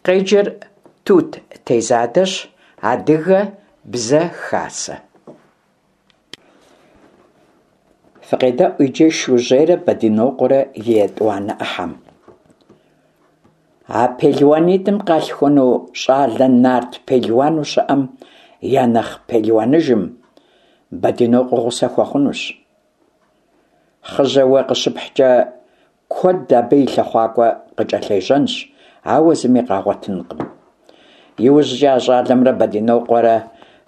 Къеджэр Тут Тезадэщ, Адыгэ Бзэ Хасэ. Фыкъедэӏу иджы Шужьейрэ Бэдынокъуэрэ и етӏуанэ ӏыхьэм. А пелуанитӏым къалъхуну щӏалэ нарт пелуану щыӏэм я нэхъ пелуаныжым Бэдынокъуэ гъусэ хуэхъунущ. Хъыжьэ уэ къыщыпхькӏэ куэд абы и лъыхъуакӏуэ къыкӏэлъежьэнщ, ауэ зыми къагъуэтынкъым. Иужькӏэ а щӏалэмрэ Бэдынокъуэрэ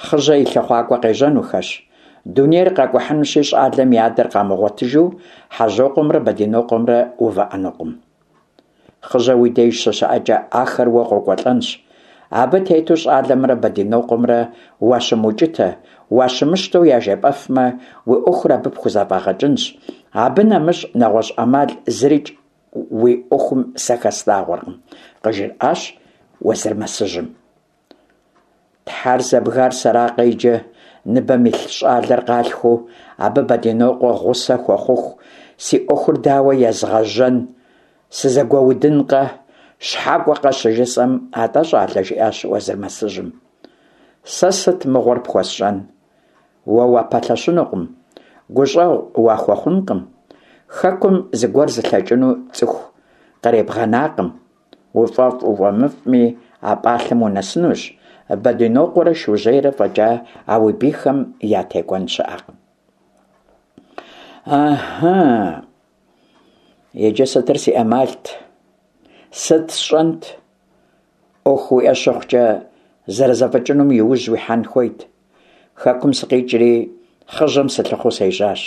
Хъыжьэ и лъыхъуакӏуэ къежьэнухэщ. Дунейр къакӏухьынущи, щӏалэм и адэр къамыгъуэтыжу Хьэжьокъуэмрэ Бэдынокъуэмрэ увыӏэнукъым. Хъыжьэ уи деж щыщыӏэкӏэ ахэр уэ къокӏуэлӏэнщ. Абы тету щӏалэмрэ Бэдынокъуэмрэ уащымыукӏытэ, уащымыщтэу яжепӏэфмэ, уи ӏуэхур абы пхузэфӏагъэкӏынщ. Абы нэмыщӏ нэгъуэщӏ ӏэмал зырикӏ уи ӏуэхум сэ хэслъагъуэркъым, къыжриӏащ Уэзырмэсыжьым. Тхьэр зэбгар сэракъэ иджы, ныбэм илъ щӏалэр къалъхуу, абы Бэдынокъуэ гъусэ хуэхъуху, си ӏуэхур дауэ езгъэжьэн, сызэгуэудынкъэ, щхьэкӏуэкъэ щыжысӏэм, атӏэ, щӏалэ, жиӏащ Уэзырмэсыжьым. Сэ сыт мыгъуэр пхуэсщӏэн? Уэ уапэлъэщынукъым, гущӏэгъу уахуэхъункъым, хэкум зыгуэр зылъэкӏыну цӏыху къребгъэнакъым. Уфӏэфӏ-уфӏэмыфӏми, а пӏалъэм унэсынущ, Бэдынокъуэрэ Шужьейрэ фӏэкӏа а уи бийхэм ятекӏуэн щыӏэкъым. Ыхьы, иджы сытыр си ӏэмалт? Сыт сщӏэнт? Ӏуэху уиӏэ щыхъукӏэ, зэрызэфӏэкӏынум и ужь уихьэн хуейт. Хэкум сыкъикӏри, Хъыжьэм сылъыхъуу сежьащ.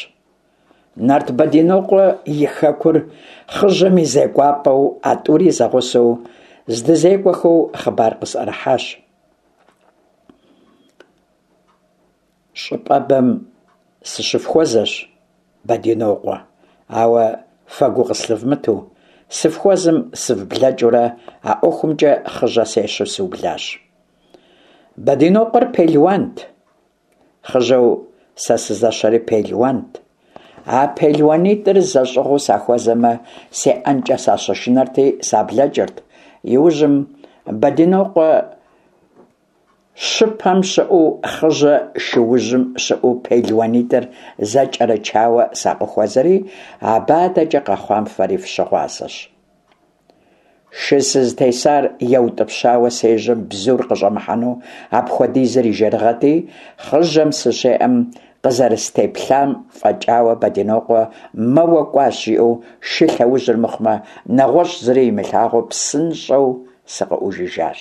Нарт Бэдинокъуэ и хэкур Хъыжьэм и зекӏуапӏэу а тӏури зэгъусэу здызекӏуэхэу хъыбар къысӏэрыхьащ. Щӏыпӏэбэм сыщыфхуэзэщ, Бэдинокъуэ, ауэ фэ гу къыслъывмытэу, сыфхуэзэм сывблэкӏыурэ а ӏуэхумкӏэ Хъыжьэ сещэу сыублащ. Бэдинокъуэр пелуант. Хъыжьэу сэ сызэщэри пелуант. А пелуанитӏыр зэщӏыгъуу сахуэзэмэ, сеӏэнкӏэ сащышынэрти, саблэкӏырт. Иужьым Бэдинокъуэ щыпэм щыӏэу, Хъыжьэ шыужьым щыӏэу пелуанитӏыр зэкӏэрычауэ сакъыхуэзэри, абы адэкӏэ къэхъуам фэри фыщыгъуазэщ. Шы сызытесар еутӏыпщауэ сежьэм бзур къыщӏэмыхьэну апхуэдизыр и жэрыгъэти, Хъыжьэм сыщеӏэм къызэрыстеплъам фӏэкӏауэ Бэдинокъуэ мэуэ кӏуащ жиӏэу шы лъэужьыр мыхъумэ, нэгъуэщӏ зыри имылъагъуу псынщӏэу сыкъыӏужыжащ.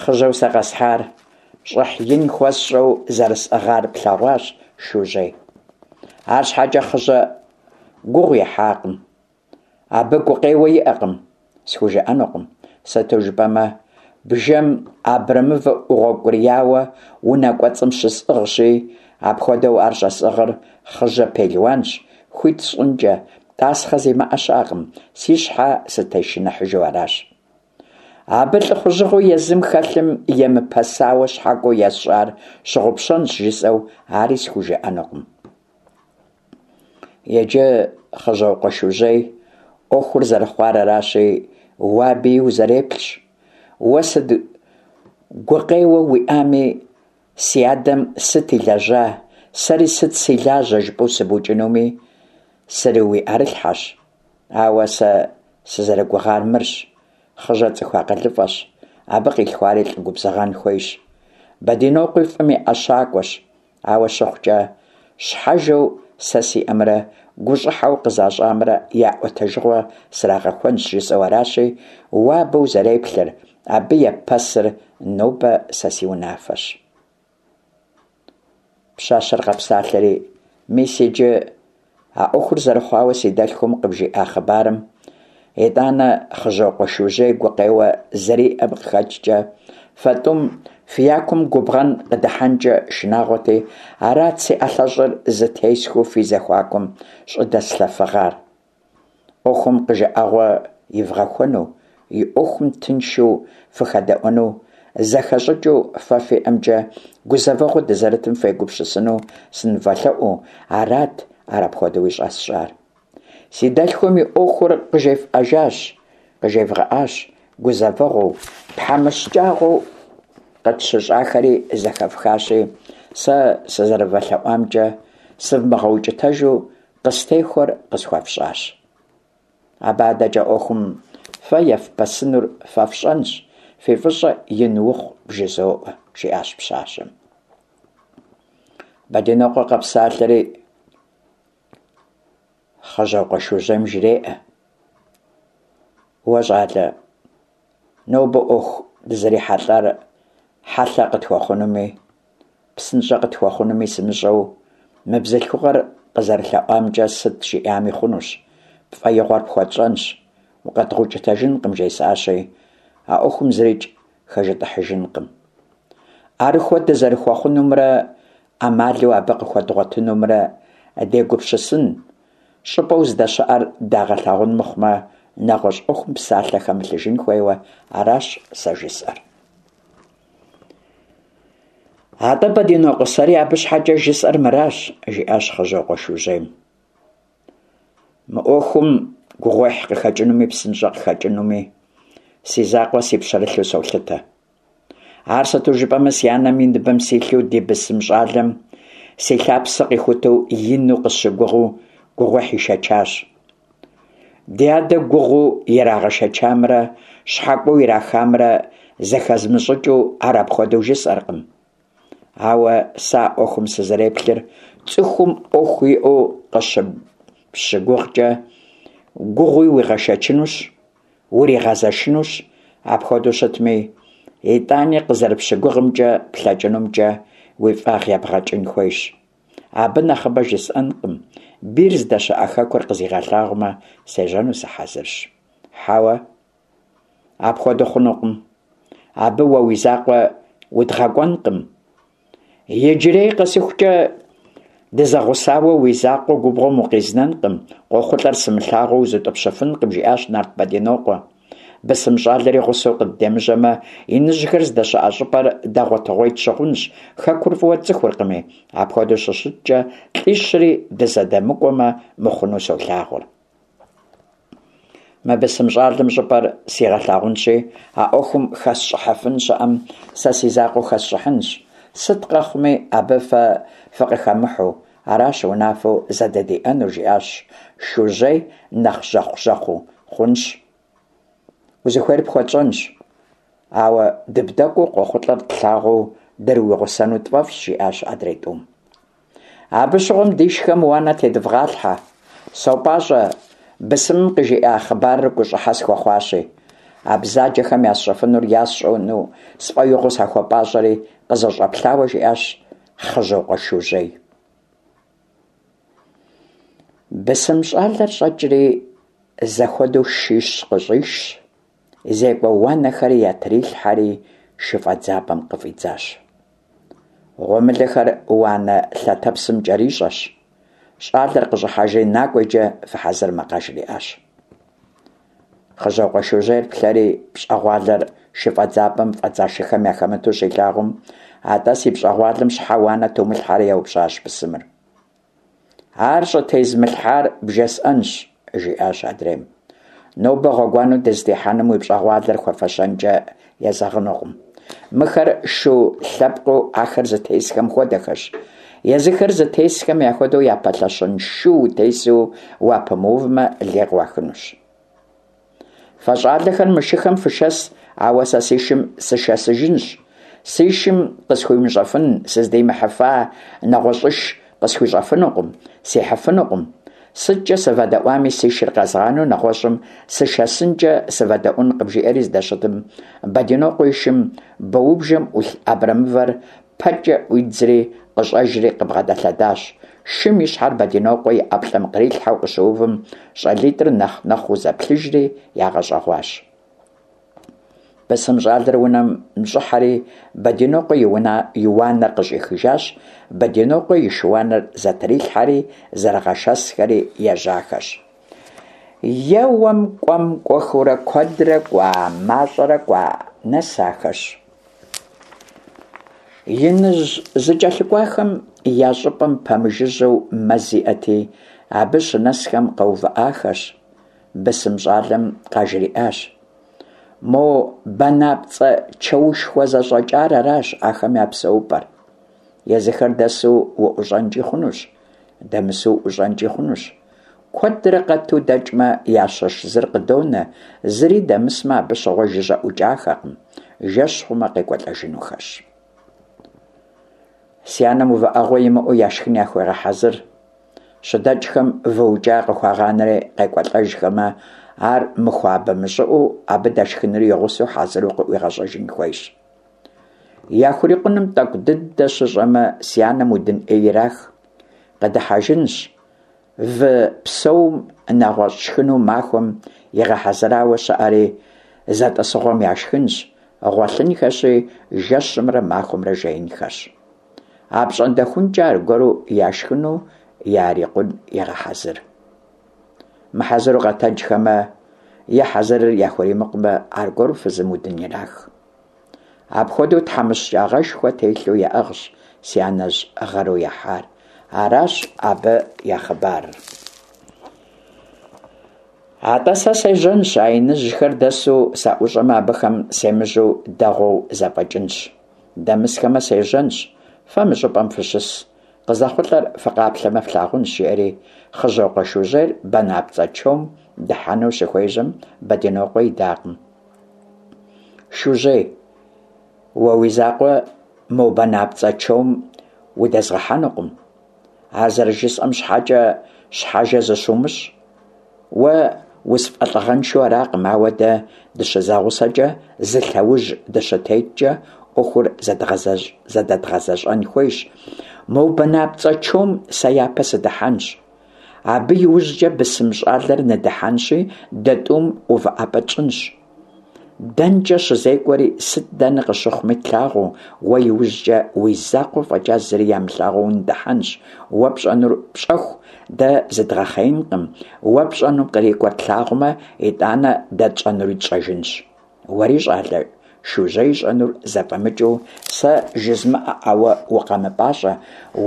Хъыжьэу сэ къэсхьар щӏыхь ин хуэсщӏэу зэрысӏыгъар плъэгъуащ, Шужьей. Арщхьэкӏэ Хъыжьэ гугъу ехьакъым. Абы гукъеуэ иӏэкъым, схужыӏэнукъым, сыту жыпӏэмэ, бжэм абрэмывэ ӏугъэукӏурияуэ унэ кӏуэцӏым щысӏыгъщи, апхуэдэу ар щӏэсӏыгъыр Хъыжьэ пелуанщ, хуит сщӏынкӏэ, тӏасхъэ зимыӏэ щыӏэкъым, си щхьэ сытешыныхьыжу аращ. Абы лӏыхъужьыгъэу езым хэлъым емыпэсауэ щхьэкӏуэу есщӏар щыгъупщэнщ жысӏэу ари схужыӏэнукъым. Иджы, Хъыжьокъуэ Шужьей, ӏуэхур зэрыхъуар аращи, уэ абыи узэреплъщ. Уэ сыт гукъеуэ уиӏами, си адэм сыт илэжьа, сэри сыт си лажьэ жыпӏэу сыбукӏынуми, срыуиӏэрылъхьэщ. Ауэ сэ сызэрыгугъар мырщ, Хъыжьэ цӏыху акъылыфӏэщ, абы къилъхуари лӏы губзыгъэн хуейщ. Бэдинокъуи фӏым и ӏэщакӏуэщ, ауэ щыхъукӏэ, щхьэжэу сэ сиӏэмрэ гущӏыхьэу къызащӏамрэ я ӏуэтэжыгъуэ срагъэхуэнщ жысӏэу аращи, уэ абы узэреплъыр, абы еппэсыр нобэ сэ си унафэщ. Пщащэр къэпсалъэри, мис иджы а ӏуэхур зэрыхъуауэ си дэлъхум къыбжиӏа хъыбарым, итӏанэ Хъыжьокъуэ Шужьей гукъеуэ зэриӏэм къыхэкӏкӏэ, фэ тӏум фи якум губгъэн къыдыхьэнкӏэ шынагъуэти, арат си ӏэлъэщӏыр зытесхыу фи зэхуакум щӏыдэслъэфыгъар. ӏуэхум къыжыӏэгъуэ ивгъэхуэну, и ӏуэхум тыншу фыхэдэӏуэну, зэхэщӏыкӏыу фэ фиӏэмкӏэ гузэвэгъуэ дызэрытым фегупсысыну сынывэлъэӏуу, арат ар апхуэдэуи щӏэсщӏар. Си дэлъхум и ӏуэхур къыжефӏэжащ, къыжевгъэӏащ. гузэвэгъуэу, тхьэмыщкӏагъэу къытщыщӏахэри зэхэфхащи, сэ сызэрывэлъэӏуамкӏэ сывмыгъэукӏытэжу къыстехуэр къысхуэфщӏащ. Абы адэкӏэ ӏуэхум фэ ефпэсынур фэ фщӏэнщ, фи фӏыщӏэ ин ухъу бжызоӏэ, жиӏащ пщащэм. Бэдинокъуэ къэпсалъэри Хъыжьокъуэ Шужьейм жреӏэ: Уэ, щӏалэ, нобэ ӏуэху дызэрихьэлӏар хьэлъэ къытхуэхъунуми, псынщӏэ къытхуэхъунуми сымыщӏэу, мы бзылъхугъэр къызэрылъэӏуамкӏэ сыт жиӏами хъунущ, пфӏэигъуэр пхуэтщӏэнщ, укъэдгъэукӏытэжынкъым жесӏащи, а ӏуэхум зырикӏ хэжытӏыхьыжынкъым. ӏэрыхуэ дызэрыхуэхъунумрэ ӏэмалу абы къыхуэдгъуэтынумрэ дегупсысын, щӏыпӏэу здэщыӏэр дагъэлъагъун мыхъумэ, нэгъуэщӏ ӏуэхум псалъэ хэмылъыжын хуейуэ аращ сэ жысӏэр. Атӏэ, Бэдинокъуэ, сэри абы щхьэкӏэ жысӏэр мыращ, жиӏащ Хъыжьокъуэ Шужьейм. Мы ӏуэхум гугъуехь къыхэкӏынуми псынщӏэ къыхэкӏынуми си закъуэ си пщэрылъу солъытэ. Ар сыту жыпӏэмэ, си анэм и ныбэм силъу ди бысым щӏалэм си лъапсэ къихутэу ину къысщыгугъыу гугъуехь ишэчащ. Ди адэ гугъуу ирагъэшэчамрэ щхьэкӏуэу ирахамрэ зэхэзмыщӏыкӏыу ар апхуэдэу жысӏэркъым. Ауэ сэ а ӏуэхум сызэреплъыр цӏыхум ӏуэху иӏэу къыщыпщыгугъкӏэ гугъуи уигъэшэчынущ, уригъэзэшынущ, апхуэдэу щытми, итӏани къызэрыпщыгугъымкӏэ плъэкӏынумкӏэ уи фӏагъ ебгъэкӏын хуейщ. Абы нэхъыбэ жысӏэнкъым, бийр здэщыӏэ хэкур къызигъэлъагъумэ, сежьэну сыхьэзырщ. Хьэуэ, апхуэдэу хъунукъым. Абы уэ уи закъуэ удгъэкӏуэнкъым. Иджырей къэсыхукӏэ дызэгъусауэ уи закъуэ губгъуэм укъизнэнкъым, къохъулӏэр сымылъагъуу узутӏыпщыфынкъым, жиӏащ нарт Бэдинокъуэ. Бысым щӏалэри гъусэу къыддемыжьэмэ, иныжьхэр здэщыӏэ щӏыпӏэр дэгъуэтыгъуей тщыхъунщ, хэкур фӏыуэ тцӏыхуркъыми. Апхуэдэу щыщыткӏэ, лӏищри дызэдэмыкӏуэмэ, мыхъуну солъагъур. Мы бысым щӏалэм щӏыпӏэр сигъэлъагъунщи, а ӏуэхум хэсщӏыхьыфын щыӏэм сэ си закъуэу хэсщӏыхьынщ. Сыт къэхъуми, абы фэ фыкъыхэмыхьэу, аращ унафэу зэдэдиӏэнур, жиӏащ Шужьей нэхъ жьэхъу-жьэхъуу. Хъунщ. Узыхуейр пхуэтщӏэнщ. Ауэ дыбдэкӏуэу къохъулӏэр тлъагъуу дырыуигъусэну тфӏэфӏщ, жиӏащ адрей тӏум. Абы щыгъуэм дишхэм уанэ тедывгъалъхьэ. Сопӏащӏэ, бысымым къыжиӏа хъыбарыр гущӏыхьэ схуэхъуащи. А бзаджэхэм ясщӏэфынур ясщӏэну сфӏэигъуэу сахуэпӏащӏэри, къызэщӏэплъауэ жиӏащ Хъыжьокъуэ Шужьей. Бысым щӏалэр щӏэкӏри, зэхуэдэу шищ къыщӏишщ, зекӏуэ уанэхэри ятрилъхьэри шыфӏэдзапӏэм къыфӏидзащ. Гъуэмылэхэр уанэ лъэтэпсым кӏэрищӏэщ. Щӏалэр къыщӏыхьэжри, накӏуэ иджы фыхьэзырмэ, къажриӏащ. Хъыжьокъуэ Шужьейр плъэри, пщӏэгъуалэр шыфӏэдзапӏэм фӏэдза шыхэм яхэмыту щилъагъум, атӏэ си пщӏэгъуалэм щхьэ уанэ тумылъхьэрэ еупщӏащ бысымыр. Ар щӏытезмылъхьар бжесӏэнщ, жиӏащ адрейм. Нобэ гъуэгуанэу дызытехьэнум уи пщӏэгъуалэр хуэфэщэнкӏэ езэгъынукъым. Мыхэр шу лъэпкъыу ахэр зытесхэм хуэдэхэщ. Езыхэр зытесхэм яхуэдэу япэлъэщын шу утесу уапэмыувмэ, лей къыуахынущ. Фэ щӏалэхэр мы шыхэм фышэс, ауэ сэ си шым сышэсыжынщ. Си шым къысхуимыщӏэфын, сыздимыхьыфа нэгъуэщӏыш къысхуищӏэфынукъым, сихьыфынукъым. Сыткӏэ сывэдэӏуами, си шыр къэзгъанэу нэгъуэщӏым сышэсынкӏэ сывэдэӏуэнкъым, жиӏэри здэщытым, Бэдинокъуэ и шым боубжэм ӏулъ абрэмывэр пэкӏэ ӏуидзри, къыщӏэжри къыбгъэдэлъэдащ. Шым и щхьэр Бэдинокъуэ и ӏэплӏэм кърилъхьэу къыщыувым, щӏалитӏыр нэхъ нэхъуу зэплъыжри ягъэщӏэгъуащ. Бысым щӏалэр унэм щӏыхьэри, Бэдинокъуэ и уна и уанэр къыщӏихыжащ, Бэдинокъуэ и шы-уанэр зэтрилъхьэри, зэрыгъэшэсхэри ежьахэщ. Еуэм, кӏуэм, кӏуэхэурэ куэдрэ кӏуа, мащӏэрэ кӏуа, нэсахэщ. Иныжь зыкӏэлъыкӏуахэм я щӏыпӏэм пэмыжыжьэу мэз иӏэти, абы щынэсхэм къэувыӏахэщ. Бысым щӏалэм къажриӏащ. Мо банапцӏэ чэушхуэ зэщӏэкӏар аращ ахэм я псэупӏэр. Езыхэр дэсу уӏущӏэнкӏи хъунущ, дэмысу уӏущӏэнкӏи хъунущ. Куэдрэ къэту дэкӏмэ, ящыщ зыр къыдонэ, зыри дэмысмэ, абы щыгъуэ жыжьэ ӏукӏахэкъым, жэщ хъумэ къекӏуэлӏэжынухэщ. Си анэм увыӏэгъуэ имыӏэу яшхын яхуегъэхьэзыр. Щыдэкӏхэм вы укӏа къыхуагъанэри къекӏуэлӏэжхэмэ, ар мыхуабэ-мыщӏыӏэу абы дэшхынури и гъусэу хьэзыру къыӏуигъэщӏэжын хуейщ. Яхурикъуным тӏэкӏу дыдэ щыщӏэмэ, си анэм удын ӏей ирах. Къыдыхьэжынщ, вы псэум нэгъуэщӏ шхыну махуэм игъэхьэзырауэ щыӏэри зэтӏысыгъуэм яшхынщ, гъуэлъынхэщи, жэщымрэ махуэмрэ жеинхэщ. Апщӏондэхункӏэ аргуэру яшхыну ярикъун егъэхьэзыр. Мыхьэзыру къэтэджхэмэ е хьэзырыр яхуримыкъумэ, аргуэру фызым удын ирах. Апхуэдэу тхьэмыщкӏагъэшхуэ телъу яӏыгъщ си анэжь гъэру яхьар. Аращ абы я хъыбарыр. Атӏэ сэ сежьэнщ, а иныжьхэр дэсу саӏущӏэмэ, абыхэм семыжьэу дэгъуэу зэфӏэкӏынщ. Дэмысхэмэ, сежьэнщ, фэ мы щӏыпӏэм фыщыс, къызэхъулӏэр фыкъаплъэмэ флъагъунщ, жиӏэри Хъыжьокъуэ Шужьейр банапцӏэ чом дыхьэну щыхуежьэм, Бэдынокъуэ идакъым. Шужьей, уэ уи закъуэ мо банапцӏэ чом удэзгъэхьэнукъым. Ар зэрыжысӏэм щхьэкӏэ щхьэжэ зыщумыщӏ. Уэ усфӏэлӏыгъэншэу аракъым, ауэ дэ дыщызэгъусэкӏэ, зы лъэужь дыщытеткӏэ ӏуэхур зэдэдгъэзэщӏэн хуейщ. Мо банапцӏэ чом сэ япэ сыдыхьэнщ. Абы иужькӏэ бысым щӏалэр ныдыхьэнщи, дэ тӏум увыӏэпӏэ тщӏынщ. Дэнкӏэ щызекӏуэри, сыт дэнэ къыщыхъуми тлъагъуу, уэ иужькӏэ уи закъуэ фӏэкӏа зыри ямылъагъуу уныдыхьэнщ. Уэ пщӏэнур пщӏэху, дэ зыдгъэхъеинкъым, уэ пщӏэнум кърикӏуэр тлъагъумэ, итӏанэ дэ тщӏэнури тщӏэжынщ. Уэри, щӏалэ, Шужьей ищӏэнур зэфӏэмыкӏыу, сэ жызмыӏэӏауэ укъэмыпӏащӏэ,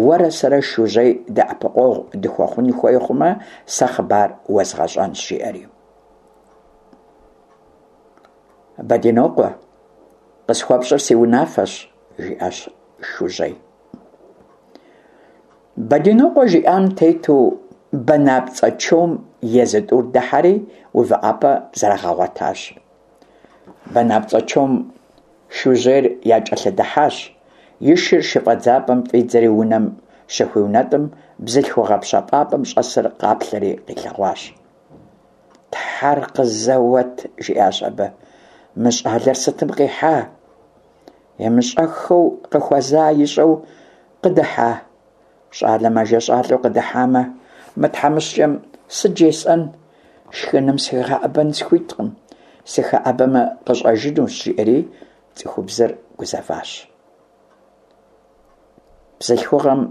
уэрэ сэрэ Шужьей дэӏэпыкъуэгъу дыхуэхъун хуей хъумэ, сэ хъыбар уэзгъэщӏэнщ, жиӏэри. Бэдинокъуэ, къысхуэпщӏыр си унафэщ, жиӏащ Шужьей. Бэдинокъуэ жиӏам тету банапцӏэ чом езы тӏур дыхьэри увыӏэпӏэ зэрагъэгъуэтащ. Банапцӏэ чом Шужьейр якӏэлъыдыхьащ, и шыр шыфӏэдзапӏэм фӏидзэри унэм щыхуиунэтӏым, бзылъхугъэ пщэфӏапӏэм щӏэсыр къаплъэри къилъэгъуащ. Тхьэр къызэуэт, жиӏащ абы, мы щӏалэр сытым къихьа? Имыщӏэххэу къыхуэза ищӏэу къыдыхьа? Щӏалэ мэжэщӏалӏэу къыдыхьамэ, мы тхьэмыщкӏэм сыт жесӏэн? Шхыным сыхигъэӏэбэн схуиткъым, сыхэӏэбэмэ къыщӏэжынущ, жиӏэри цӏыхубзыр гузэващ. Бзылъхугъэм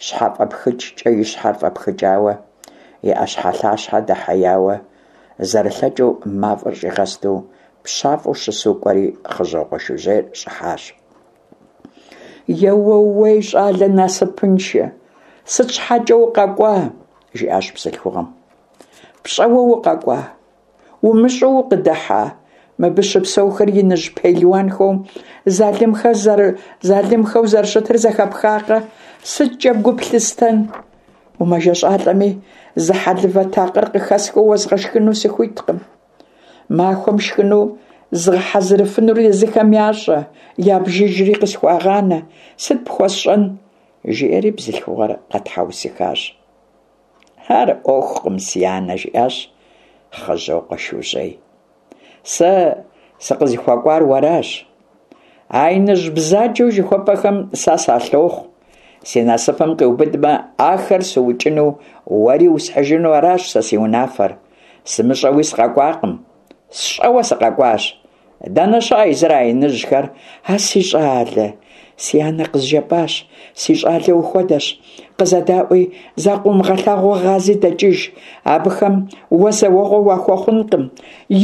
щхьэфӏэпхыкӏкӏэ и щхьэр фӏэпхыкӏауэ, и ӏэщхьэлъащхьэр дэхьеяуэ, зэрылъэкӏыу мафӏэр щӏигъэсту, пщафӏэу щысу кӏуэри Хъыжьокъуэ Шужьейр щӏыхьащ. Еууей, щӏалэ насыпыншэ, сыт щхьэкӏэ укъэкӏуа? жиӏащ бзылъхугъэм. Пщӏэуэ укъэкӏуа? Умыщӏэу укъыдыхьа? Мыбы щыпсэухэр иныжь пелуанхэу, залымхэу зэрыщытыр зэхэпхакъэ? Сыткӏэ гу плъыстэн? Умэжэщӏалӏэми, зы хьэлывэ такъыр къыхэсхыу уэзгъэшхыну сыхуиткъым. Махуэм шхыну згъэхьэзырыфынур езыхэм ящӏэ, ябжыжри къысхуагъанэ. Сыт пхуэсщӏэн? жиӏэри бзылъхугъэр къэтхьэусыхащ. Ар ӏуэхукъым, си анэ, жиӏащ Хъыжьокъуэ Шужьей. Сэ сыкъызыхуэкӏуар уэращ. А иныжь бзаджэу жыхуэпӏэхэм сэ салъохъу. Си насыпым къиубыдмэ, ахэр сыукӏыну, уэри усхьыжыну аращ сэ си унафэр. Сымыщӏэуи сыкъэкӏуакъым. Сщӏэуэ сыкъэкӏуащ. Дэнэ щыӏэ езыр а иныжьхэр? А си щӏалэ, си анэ къызжепӏащ, си щӏалэ ухуэдэщ. Къызэдаӏуи, закъыумыгъэлъагъуу гъази дэкӏыж. Абыхэм уэ зэуэгъуэ уахуэхъункъым.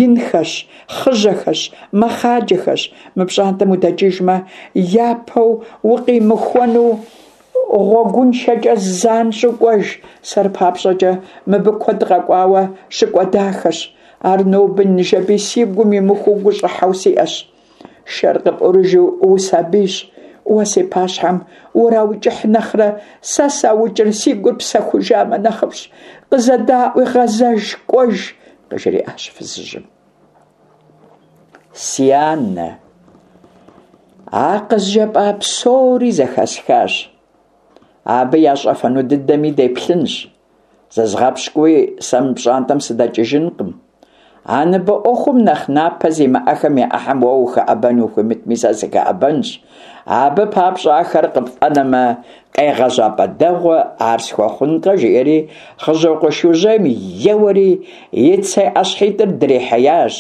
Инхэщ, хъыжьэхэщ, мэхъаджэхэщ. Мы пщӏантӏэм удэкӏыжмэ, япэу укъимыхуэну гъуэгуншэкӏэ занщӏэу кӏуэж. Сэр папщӏэкӏэ мыбы куэд къэкӏуауэ щыкӏуэдахэщ. Ар ноби ныжэби си гум имыхуу гущӏыхьэу сиӏэщ. Шэр къыпӏурыжу усабийщ. Уэ си пащхьэм ураукӏыхь нэхърэ, сэ саукӏыр си гур псэхужамэ нэхъыфӏщ. Къызэдаӏуи гъэзэж, кӏуэж, къыжриӏащ фызыжьым. Си анэ, а къызжепӏа псори зэхэсхащ. Абы ящӏэфэну дыдэми деплъынщ. Зызгъэпщкӏуи, сэ мы пщӏантӏэм сыдэкӏыжынкъым. А ныбэ ӏуэхум нэхъ напэ зимыӏэхэм я ӏыхьэм уэ ухэӏэбэн ухуимытми, сэ сыхэӏэбэнщ. Абы папщӏэ ахэр къыпфӏэнэмэ, къегъэжьапӏэ дэгъуэ ар схуэхъункъэ, жиӏэри Хъыжьокъуэ Шужьейм еуэри и цей ӏэщхьитӏыр дрихьеящ,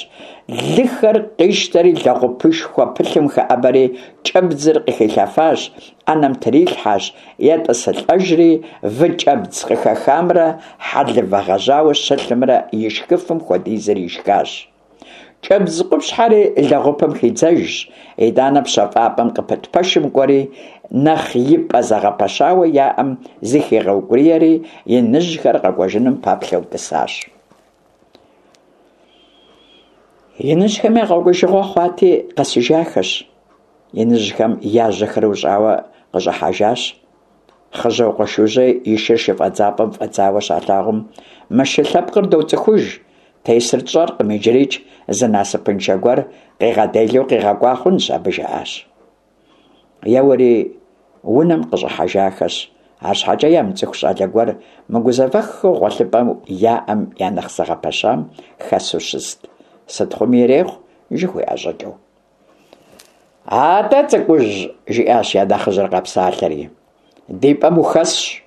лыхэр къищтэри лэгъупышхуэ пылъым хэӏэбэри кӏэбдзыр къыхилъэфащ, ӏэнэм трилъхьэщ, етӏысылӏэжри, выкӏэбдз къыхэхамрэ хьэлывэ гъэжьауэ щылъымрэ ишхыфым хуэдизыр ишхащ. Кӏэбдз къупщхьэри лэгъупым хидзэжщ, итӏанэ пщэфӏапӏэм къыпыт пэшым кӏуэри, нэхъ и пӏэ зэгъэпэщауэ яӏэм зыхигъэукӏуриери, иныжьхэр къэкӏуэжыным пэплъэу тӏысащ. Иныжьхэм я къэкӏуэжыгъуэ хъуати, къэсыжахэщ. Иныжьхэм я жьэхэр ущӏауэ къыщӏыхьэжащ. Хъыжьокъуэ Шужьей и шыр шыфӏэдзапӏэм фӏэдзауэ щалъагъум, Мы шы лъэпкъыр доцӏыхуж, тесыр тщӏэркъым, иджырикӏ зы насыпыншэ гуэр къигъэделэу къигъэкӏуа хъунщ абы, жаӏащ. Еуэри унэм къыщӏыхьэжахэщ, арщхьэкӏэ ямыцӏыху щӏалэ гуэр мыгузэвэххэу гъуэлъыпӏэу яӏэм я нэхъ зэгъэпэщам хэсу щыст, сыт хъуми ирехъу, жыхуиӏэ щӏыкӏэу. Атӏэ, цӏыкӏужь, жиӏащ я нэхъыжьыр къэпсалъэри, ди пӏэм ухэсщ,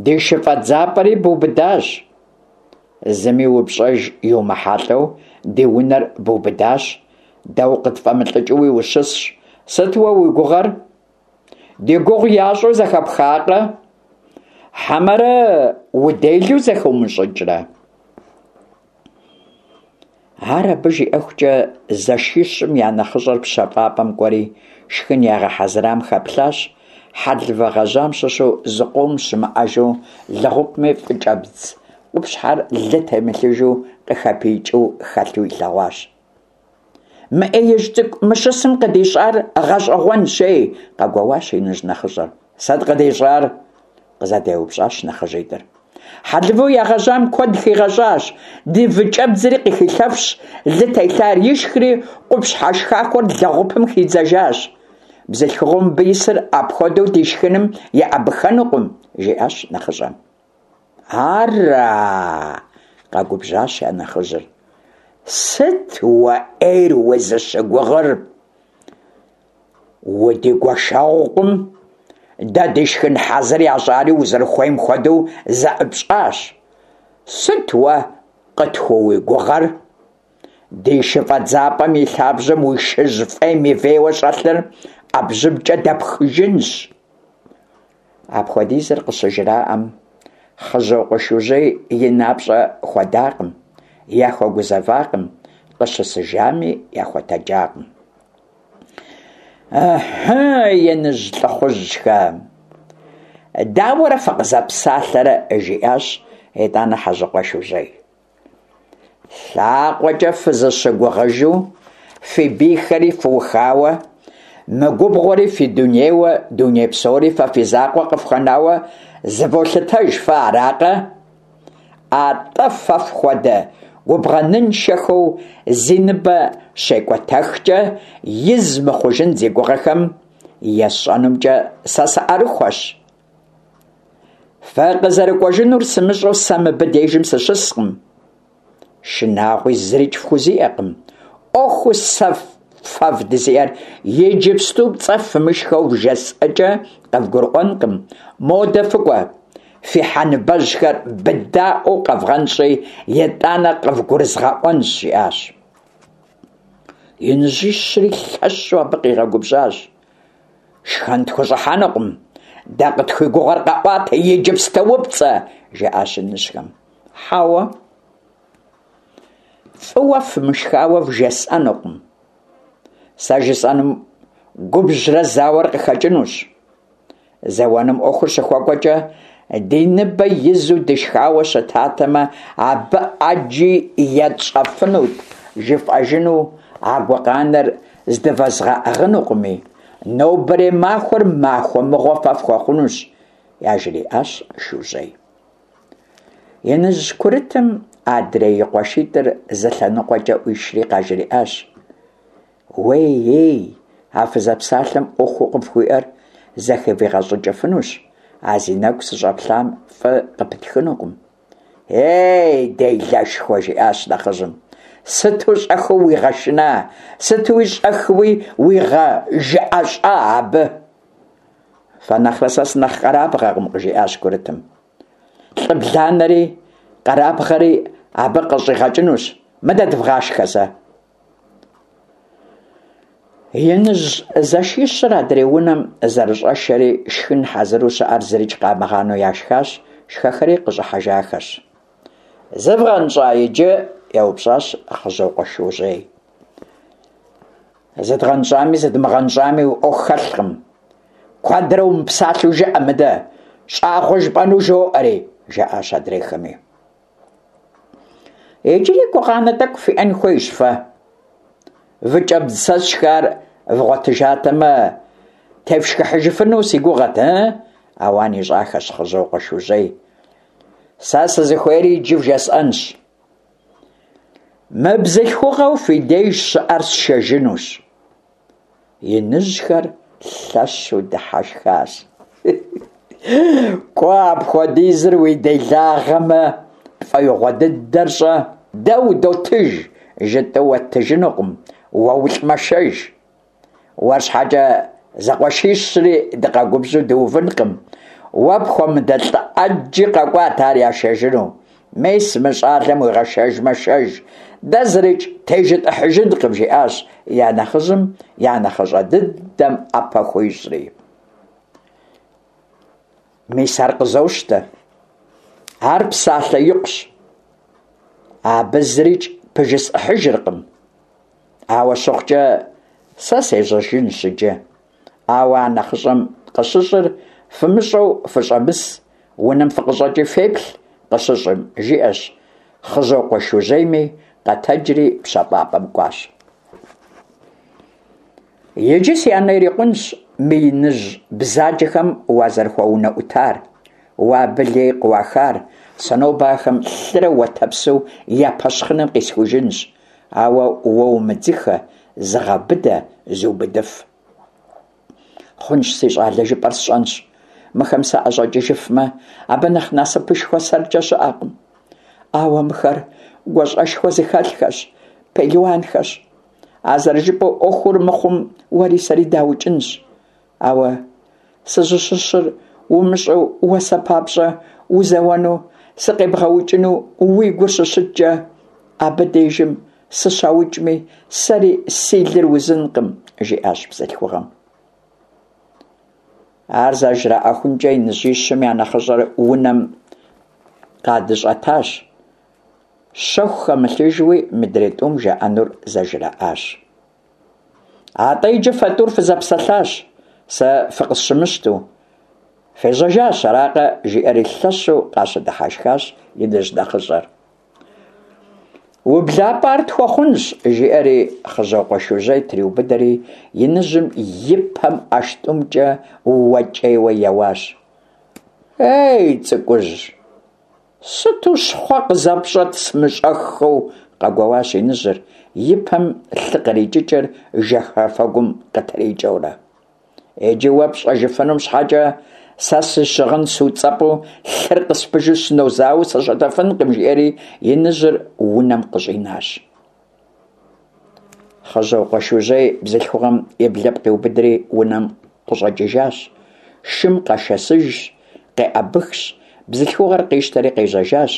ди шыфӏэдзапӏэри бубыдащ, зыми упщӏэж иумыхьэлӏэу ди унэр бубыдащ, дэ укъытфӏэмылӏыкӏыуи ущысщ. Сыт уэ уи гугъэр? Ди гугъу ящӏу зэхэпхакъэ? Хьэмэрэ уделэу зэхыумыщӏыкӏрэ? Ар абы жиӏэхукӏэ зэшищым я нэхъыщӏэр пщэфӏапӏэм кӏуэри, шхын ягъэхьэзырам хэплъащ, хьэлывэ гъэжьам щыщу зыкъом щымыӏэжу, лэгъупми выкӏэбдз къупщхьэр лы темылъыжу къыхэпиикӏыу хэлъу илъэгъуащ. Мы ӏеижь цӏыкӏу мы щысым къыдищӏар гъэщӏэгъуэнщ, ей! къэгуэуащ иныжь нэхъыщӏэр. Сыт къыдищӏар? къызэдеупщӏащ нэхъыжьитӏыр. Хьэлывэу ягъэжьам куэд хигъэщӏащ, ди выкӏэбдзри къыхилъэфщ, лы телъар ишхри, къупщхьэ шхахуэр лэгъупым хидзэжащ. Бзылъхугъэу мыбы исыр апхуэдэу ди шхыным еӏэбыхэнукъым, жиӏащ нэхъыщӏэм. Ара? къэгубжьащ я нэхъыжьыр. Сыт уэ ӏейр узыщыгугъыр? Удигуэшэгъукъым, дэ ди шхын хьэзыр ящӏари узэрыхуейм хуэдэу зэӏыпщӏащ. Сыт уэ къытхууигугъэр? Ди шыфӏэдзапӏэм и лъабжьэм уи шыжь фӏейм и вейуэ щӏэлъыр ӏэбжьыбкӏэ дэпхыжынщ. Апхуэдизыр къыщыжраӏэм, Хъыжьокъуэ Шужьей и напщӏэ хуэдакъым, яхуэгузэвакъым, къыщысыжами яхуэтэджакъым. Ыхьы, иныжь лӏыхъужьхэ! Дауэрэ фыкъызэпсалъэрэ? жиӏащ итӏанэ Хьэжьыкъуэ Шужьей. Лъакъуэкӏэ фызыщыгугъыжу, фи бийхэри фыухауэ, мы губгъуэри фи дунейуэ, дуней псори фэ фи закъуэ къыфхуэнауэ зыволъытэж фэ, аракъэ? Атӏэ фэ фхуэдэ губгъэныншэхэу зи ныбэ щекӏуэтэхкӏэ из мыхъужын зи гугъэхэм есщӏэнумкӏэ сэ сыӏэрыхуэщ. Фыкъызэрыкӏуэжынур сымыщӏэу сэ мыбы дежым сыщыскъым. Шынагъуи зырикӏ фхузиӏэкъым. ӏуэхуу сэ фэ вдызиӏэр иджыпсту пцӏэ фымышхэу вжесӏэкӏэ къывгурыӏуэнкъым. Модэ фыкӏуэ, фи хьэ ныбэжьхэр быдаӏуэу къэвгъэнщӏи, итӏанэ къывгурызгъэӏуэнщ, жиӏащ. Иныжьищри лъэщу абы къигъэгубжьащ. Шхэн тхущӏыхьэнукъым, дэ къытхуигугъэр къэӏуатэ иджыпстуупцӏэ, жаӏащ иныжьхэм. Хьэуэ, фӏыуэ фымышхауэ вжесӏэнукъым. Сэ жысӏэнум губжьрэ зауэр къыхэкӏынущ. Зэуэным ӏуэхур щыхуэкӏуэкӏэ, Ди ныбэ изу дышхауэ щытатэмэ, абы ӏэджи етщӏэфынут, жыфӏэжыну а гукъанэр здывэзгъэӏыгъынукъыми, нобэрей махуэр махуэ мыгъуэ фэ фхуэхъунущ, яжриӏащ Шужьей. Иныжь курытым адрей и къуэшитӏыр зы лъэныкъуэкӏэ ӏуишри къажриӏащ. Уей-ей, а фызэпсалъэм ӏуэхуу къыфхуиӏэр зэхывигъэщӏыкӏыфынущ, а зи нэгу сыщӏэплъам фӏы къыпытхынукъым. Ей, делэшхуэ, жиӏащ нэхъыжьым, сыту щӏэхыу уигъэшына, сытуи щӏэхыуи уигъэжыӏэщӏа абы? Фэ нэхърэ сэ сынэхъ къэрабгъэкъым, къыжиӏащ курытым. Лӏы бланэри къэрабгъэри абы къыщӏигъэкӏынущ, мыдэ дывгъашхэ зэ. Иныжь зэшищыр адрей унэм зэрыщӏэшэри, шхын хьэзыру щыӏэр зырикӏ къамыгъанэу яшхащ, шхэхэри къыщӏыхьэжахэщ. Зывгъэнщӏа иджы? еупщӏащ Хъыжьокъуэ Шужьей. Зыдгъэнщӏами зыдмыгъэнщӏами уи ӏуэху хэлъкъым. Куэдрэ умыпсалъэу жыӏэ мыдэ, щӏагъуэ жыпӏэну жоӏэри, жаӏащ адрейхэми. Иджыри гукъанэ тӏэкӏу фиӏэн хуейщ фэ. Выкӏэбдз сэ сшхар вгъуэтыжатэмэ, тефшхыхьыжыфыну си гугъэт, ы? Ауан ищӏахэщ Хъыжьокъуэ Шужьей. Сэ сызыхуейри иджы вжесӏэнщ. Мы бзылъхугъэу фи деж щыӏэр сшэжынущ. Иныжьхэр лъэщу дыхьэшхащ. Кӏуэ, апхуэдизыр уи делагъэмэ, пфӏэигъуэ дыдэр щӏэ, дэ удотыж, жытӏэу уэттыжынукъым, уэ улӏмэ шэж. Уэр щхьэкӏэ зэкъуэшищри дыкъэгубжьу дыувынкъым. Уэ пхуэмыдэ лӏы ӏэджи къэкӏуат ар яшэжыну. Мес, мы щӏалэм уигъэшэжмэ, шэж, дэ зырикӏ тежытӏыхьыжынкъым, жиӏащ я нэхъыжьым я нэхъыщӏэ дыдэм ӏэпэ хуищӏри. Мис ар къызощтэ. Ар псалъэ икъущ. Абы зырикӏ пыжысӏыхьыжыркъым. Ауэ щыхъукӏэ, сэ сежьэжынщ иджы. Ауэ а нэхъыщӏэм къыщыщӏыр фымыщӏэу фыщӏэмыс, унэм фыкъыщӏэкӏи феплъ къыщыщӏым, жиӏэщ Хъыжьокъуэ Шужьейми, къэтэджри пщэфӏапӏэм кӏуащ. Иджы си анэ ирикъунщ мы иныжь бзаджэхэм уазэрыхуэунэӏутар, уэ абы лей къыуахар, сэ нобэ ахэм лъырэ уэтэпсу я пэщхъыным къисхужынщ. Ауэ уэ умыдзыхэ, зыгъэбыдэ, зыубыдыф. Хъунщ, си щӏалэ, жыпӏэр сщӏэнщ. Мыхэм саӏэщӏэкӏыжыфмэ, абы нэхъ насыпышхуэ сэркӏэ щыӏэкъым. Ауэ мыхэр гуащӏэшхуэ зыхэлъхэщ, пелуанхэщ. А зэрыжыпӏэу ӏуэхур мыхъум, уэри сэри даукӏынщ. Ауэ сызыщыщыр умыщӏэу уэ сэ папщӏэ узэуэну, сыкъебгъэукӏыну уи гур щыщыткӏэ, абы дежым сыщаукӏми, сэри си лыр узынкъым, жиӏащ бзылъхугъэм. Ар зэжраӏэхункӏэ иныжьищым я нэхъыщӏэр унэм къадыщӏэтащ. Щэху хэмылъыжуи мыдрей тӏум жаӏэнур зэжраӏащ. Атӏэ иджы фэ тӏур фызэпсэлъащ, сэ фыкъысщымыщту. Фежьэжащ, аракъэ? жиӏэри лъэщу къащыдыхьэшхащ иныжь нэхъыщӏэр. Ублапӏэ ар тхуэхъунщ, жиӏэри Хъыжьокъуэ Шужьей триубыдэри иныжьым и пэм ӏэштӏымкӏэ уэкӏейуэ еуащ. Ей, цӏыкӏужь! Сыту щхъуэ къызэпщӏэт сымыщӏэххэу, къэгуэуащ иныжьыр, и пэм лъы кърикӏыкӏыр жэхэфэгум къытрикӏэурэ. Иджы уэ пщӏэжыфынум щхьэкӏэ сэ си щыгъын суцӏэпӏу лъыр къыспыжу сынозауэу сыщытыфынкъым, жиӏэри иныжьыр унэм къыщӏинащ. Хъыжьокъуэ Шужьей бзылъхугъэм и блыпкъ иубыдри унэм къыщӏэкӏыжащ. Шым къэшэсыжщ, къеӏэбыхщ, бзылъхугъэр къищтэри къежьэжащ.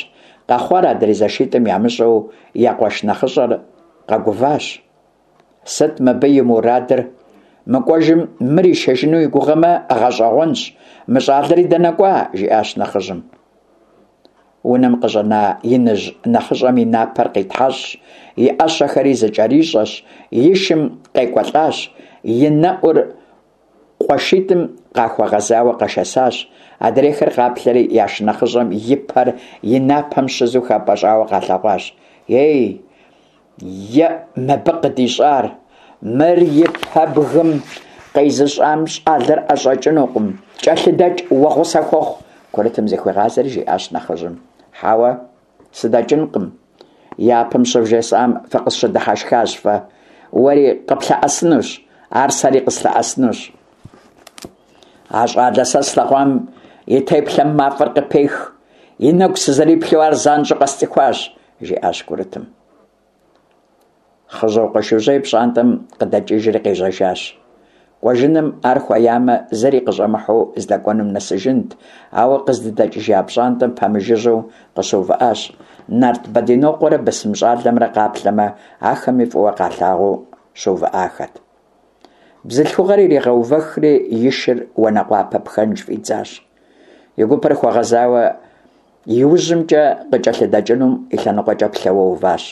Къэхъуар адрей зэшитӏым ямыщӏэу я къуэш нэхъыщӏэр къэгуващ. Сыт мыбы и мурадыр? Мыкӏуэжым мыр ишэжыну и гугъэмэ, гъэщӏэгъуэнщ. Мы щӏалэри дэнэ кӏуа? жиӏащ нэхъыжьым. Унэм къыщӏэна иныжь нэхъыщӏэм и напэр къитхьэщӏщ, и ӏэщэхэри зыкӏэрищӏэщ, и шым къекӏуэлӏащ, и нэӏур къуэшитӏым къахуэгъэзауэ къэшэсащ. Адрейхэр къаплъэри, я шынэхъыщӏэм и пэр и напэм щызу хэпӏэщӏауэ къалъэгъуащ. Ей, еӏ мыбы къыдищӏар! Мыр и пэбгым къезыщӏам щӏалэр ӏэщӏэкӏынукъым. Кӏэлъыдэкӏ, уэ гъусэ хуэхъу! Курытым зыхуигъазэри жиӏащ нэхъыжьым. Хьэуэ, сыдэкӏынкъым. Япэм щывжесӏам фыкъысщыдыхьэшхащ фэ. Уэри къыплъэӏэсынущ, ар сэри къыслъэӏэсынущ. А щӏалэ сэ слъэгъуам и теплъэм мафӏэр къыпех, и нэгу сызэриплъу ар занщӏэу къэсцӏыхуащ, жиӏащ курытым. Хъыжьокъуэ Шужьей пщӏантӏэм къыдэкӏыжри къежьэжащ. Кӏуэжыным ар хуеямэ, зыри къыщӏэмыхьэу здэкӏуэнум нэсыжынт, ауэ къыздыдэкӏыжа пщӏантӏэм пэмыжыжьэу къыщыувыӏащ. Нарт Бэдинокъуэрэ бысым щӏалэмрэ къаплъэмэ, ахэми фӏыуэ къалъагъуу щыувыӏахэт. Бзылъхугъэр иригъэувэхри, и шыр уанэкъуапэ пхэнж фӏидзащ. И гупэр хуэгъэзауэ иужьымкӏэ къыкӏэлъыдэкӏынум и лъэныкъуэкӏэ плъэуэ уващ.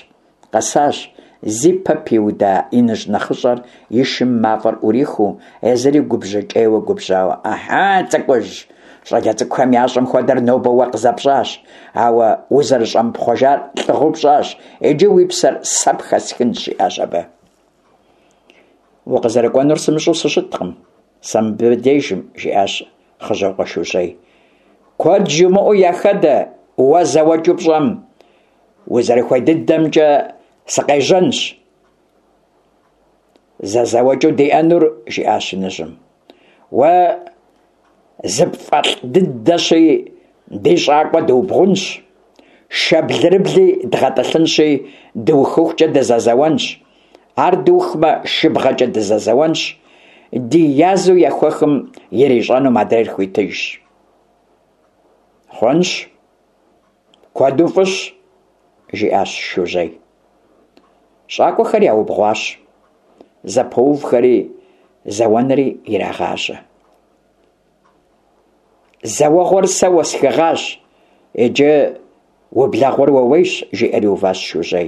Къэсащ, зи пэ пиуда иныжь нэхъыщӏэр и шым мафӏэр ӏурихыу, езыри губжьыкӏейуэ губжьауэ. Ыхьы, цӏыкӏужь! Щӏалэ цӏыкӏухэм ящӏэм хуэдэр нобэ уэ къызэпщӏащ, ауэ узэрыщӏэмыпхъуэжар лӏыгъэу пщӏащ, иджы уи псэр сэ пхэсхынщ, жиӏащ абы. Укъызэрыкӏуэнур сымыщӏэу сыщыткъым сэ мыбдежым, жиӏащ Хъыжьокъуэ Шужьей. Куэд жумыӏэу яхэдэ, уэ зэуэкӏэу пщӏэм. Узэрыхуей дыдэмкӏэ сыкъежьэнщ. Зэ зэуэкӏэу диӏэнур, жиӏащ иныжьым. Уэ зыпфӏэлӏ дыдэщи, ди щӏакӏуэ дыубгъунщ, шэ блырыбли дгъэтӏылъынщи, дыухыхукӏэ дызэзэуэнщ. Ар дыухмэ, шыбгъэкӏэ дызэзэуэнщ, ди язу ехуэхым ирищӏэнум адрейр хуитыжщ. Хъунщ, куэду фӏыщ, жиӏащ Шужьей. Щӏакӏуэхэр яубгъуащ, зэпоувхэри зэуэнри ирагъажьэ. Зэуэгъуэр сэ уэсхыгъащ, иджы ублэгъуэр уэуейщ, жиӏэри уващ Шужьей.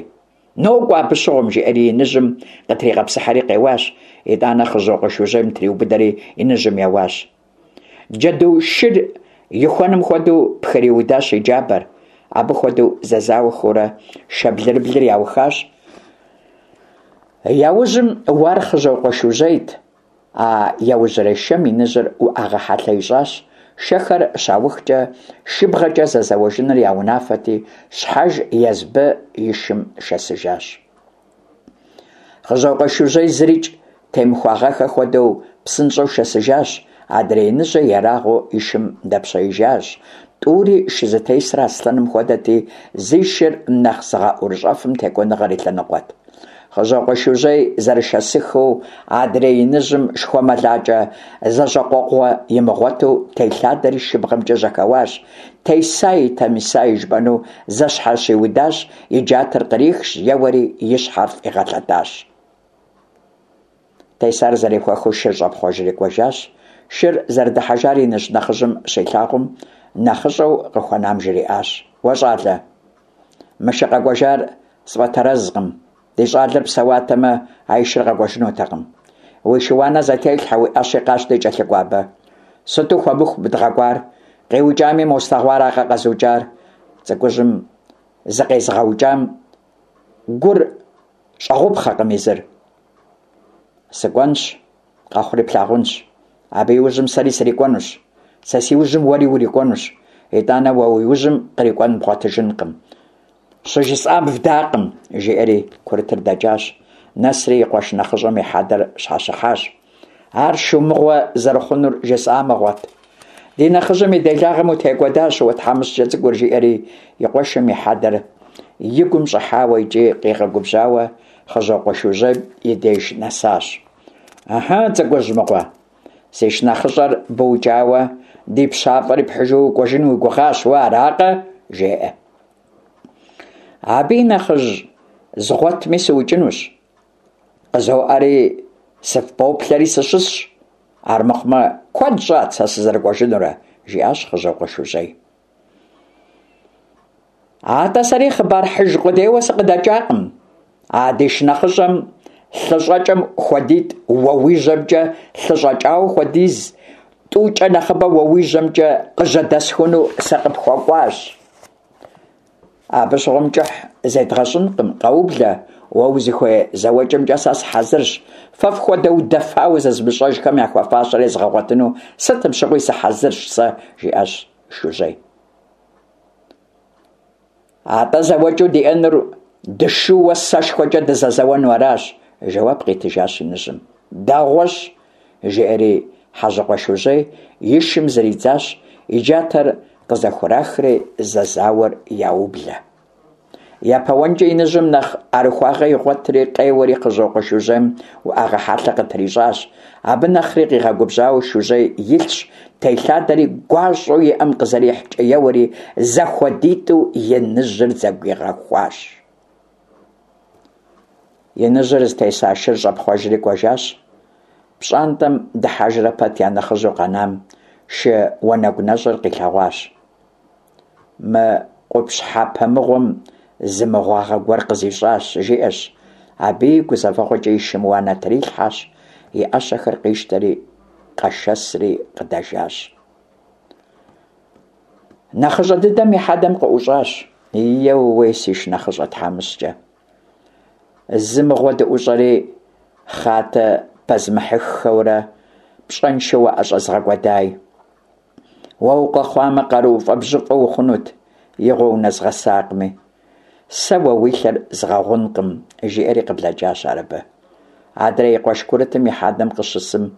Нокӏуэ абы щыгъуэм, жиӏэри иныжьым къытригъэпсыхьэри къеуащ, итӏанэ Хъыжьокъуэ Шужьейм триубыдэри иныжьым еуащ. Джэду шыр ихуэным хуэдэу пхыриудащ и джабэр. Абы хуэдэу зэзауэхэурэ шэ блырыблыр яухащ. Яужьым уар Хъыжьокъуэ Шужьейт. А яужьрей шэм иныжьыр уӏэгъэ хьэлъэ ищӏащ. Шэхэр щаухкӏэ шыбгъэкӏэ зэзэуэжыныр я унафэти, щхьэж езбы и шым шэсыжащ. Хъыжьокъуэ Шужьей зырикӏ темыхуагъэхэ хуэдэу псынщӏэу шэсыжащ, адрей иныжьыр ерагъыу и шым дэпщеижащ. Тӏури шы зытесыр аслъэным хуэдэти, зи шыр нэхъ зыгъэӏурыщӏэфым текӏуэныгъэр и лъэныкъуэт. Хъыжьокъуэ Шужьей зэрышэсыхыу адрей иныжьым шхуэмылакӏэ зэщӏэкъуэгъуэ имыгъуэту телъадэри шыбгъэмкӏэ жьэхэуащ, тесаи тэмисаи жыпӏэну зэщхьэщиудащ, и джатэр кърихщ, еуэри и щхьэр фӏигъэлъэтащ. Тесар зэрехуэхыу шыр щӏэпхъуэжри кӏуэжащ. Шыр зэрыдыхьэжар иныжь нэхъыжьым щилъагъум, нэхъыщӏэу къыхуэнам жриӏащ: Уэ, щӏалэ, мы шы къэкӏуэжар сфӏэтэрэзкъым. Ди щӏалэр псэуатэмэ, а и шыр къэкӏуэжынутэкъым. Уи шы-уанэ зэтелъхьэ, уи ӏэщи къащти кӏэлъыкӏуэ абы. Сыту хуэмыху мы дгъэкӏуар? Къиукӏами, мо слъэгъуаракъэ къэзукӏар? Цӏыкӏужьым зыкъезыгъэукӏам гур щӏэгъупхъэкъым езыр. Сыкӏуэнщ, къэхъури плъагъунщ. Абы и ужьым сэри срикӏуэнущ. Сэ си ужьым уэри урикӏуэнущ. Итӏанэ уэ уи ужьым кърикӏуэн бгъуэтыжынкъым. Щыжысӏам вдакъым, жиӏэри курытыр дэкӏащ. Нэсри и къуэш нэхъыщӏэм и хьэдэр щхьэщыхьащ. Ар шу мыгъуэ зэрыхъунур жысӏа мыгъуэт. Ди нэхъыжьым и делагъэм утекӏуэдащ уэ тхьэмыщкӏэ цӏыкӏур, жиӏэри и къуэшым и хьэдэр и гум щӏыхьауэ икӏи къигъэгубжьауэ Хъыжьокъуэ Шужьейм и деж нэсащ. Ыхьы, цӏыкӏужь мыгъуэ, си шынэхъыщӏэр быукӏауэ, ди пщафӏэри пхьыжу укӏуэжын уи гугъащ уэ, аракъэ? жеӏэ. Абы и нэхъыжь згъуэтми сыукӏынущ. Къызоӏэри, сыфпоплъэри сыщысщ. Армыхъумэ, куэд щӏат сэ сызэрыкӏуэжынурэ, жиӏащ Хъыжьокъуэ Шужьей. Атӏэ сэри хъыбар хьыж къудейуэ сыкъыдэкӏакъым. А ди шынэхъыщӏэм лъыщӏэкӏэм хуэдитӏ уэ уи жьэмкӏэ лъыщӏэкӏауэ хуэдиз тӏукӏэ нэхъыбэ уэ уи жьэмкӏэ къыжьэдэсхуну сыкъыпхуэкӏуащ. Абы щыгъуэм кӏыхь зедгъэщӏынкъым, къэублэ, уэ узыхуей зэуэкӏэмкӏэ сэ сыхьэзырщ. Фэ фхуэдэ удэфауэ зызымыщӏэжхэм яхуэфащэр езгъэгъуэтыну сытым щыгъуи сыхьэзырщ сэ, жиӏащ Шужьей. Атӏэ зэуэкӏэу диӏэнур дышууэ сэшхуэкӏэ дызэзэуэну аращ, жэуап къитыжащ иныжьым. Дэгъуэщ, жиӏэри Хьэжьыкъуэ Шужьей и шым зридзащ, и джатэр къызэхурахри зэзауэр яублэ. Япэ уэнкӏэ иныжьым нэхъ ӏэрыхуагъэ игъуэтри, къеуэри Хъыжьокъуэ Шужьейм уӏэгъэ хьэлъэ къытрищӏащ. Абы нэхъри къигъэгубжьауэ Шужьей илъщ, телъадэри гуащӏэу иӏэм къызэрихькӏэ еуэри, зэхуэдитӏу иныжьыр зэгуигъэхуащ. Иныжьыр зытеса шыр щӏэпхъуэжри кӏуэжащ. Пщӏантӏэм дыхьэжрэ пэт я нэхъыжьу къэнам шы уанэгу нэщӏыр къилъэгъуащ. Мы къупщхьэпэ мыгъуэм зы мыгъуагъэ гуэр къызищӏащ, жиӏэщ. Абыи гузэвэгъуэкӏэ и шым уанэ трилъхьэщ, и ӏэщэхэр къищтэри, къэшэсри къыдэжащ. Нэхъыщӏэ дыдэм и хьэдэм къыӏущӏащ. Еууей, си шынэхъыщӏэ тхьэмыщкӏэ. Зы мыгъуэ дыӏущӏэри, хъатэ пэзмыхьыххэурэ, пщӏэншэу уаӏэщӏэзгъэкӏуэдай. Уэ укъэхъуамэ, къарууфӏэ бжьыфӏэ ухъунут, игъуэ унэзгъэсакъыми. Сэ уэ уи лъэр згъэгъункъым, жиӏэри къыблэкӏащ ар абы. Адрей и къуэш курытым и хьэдэм къыщысым,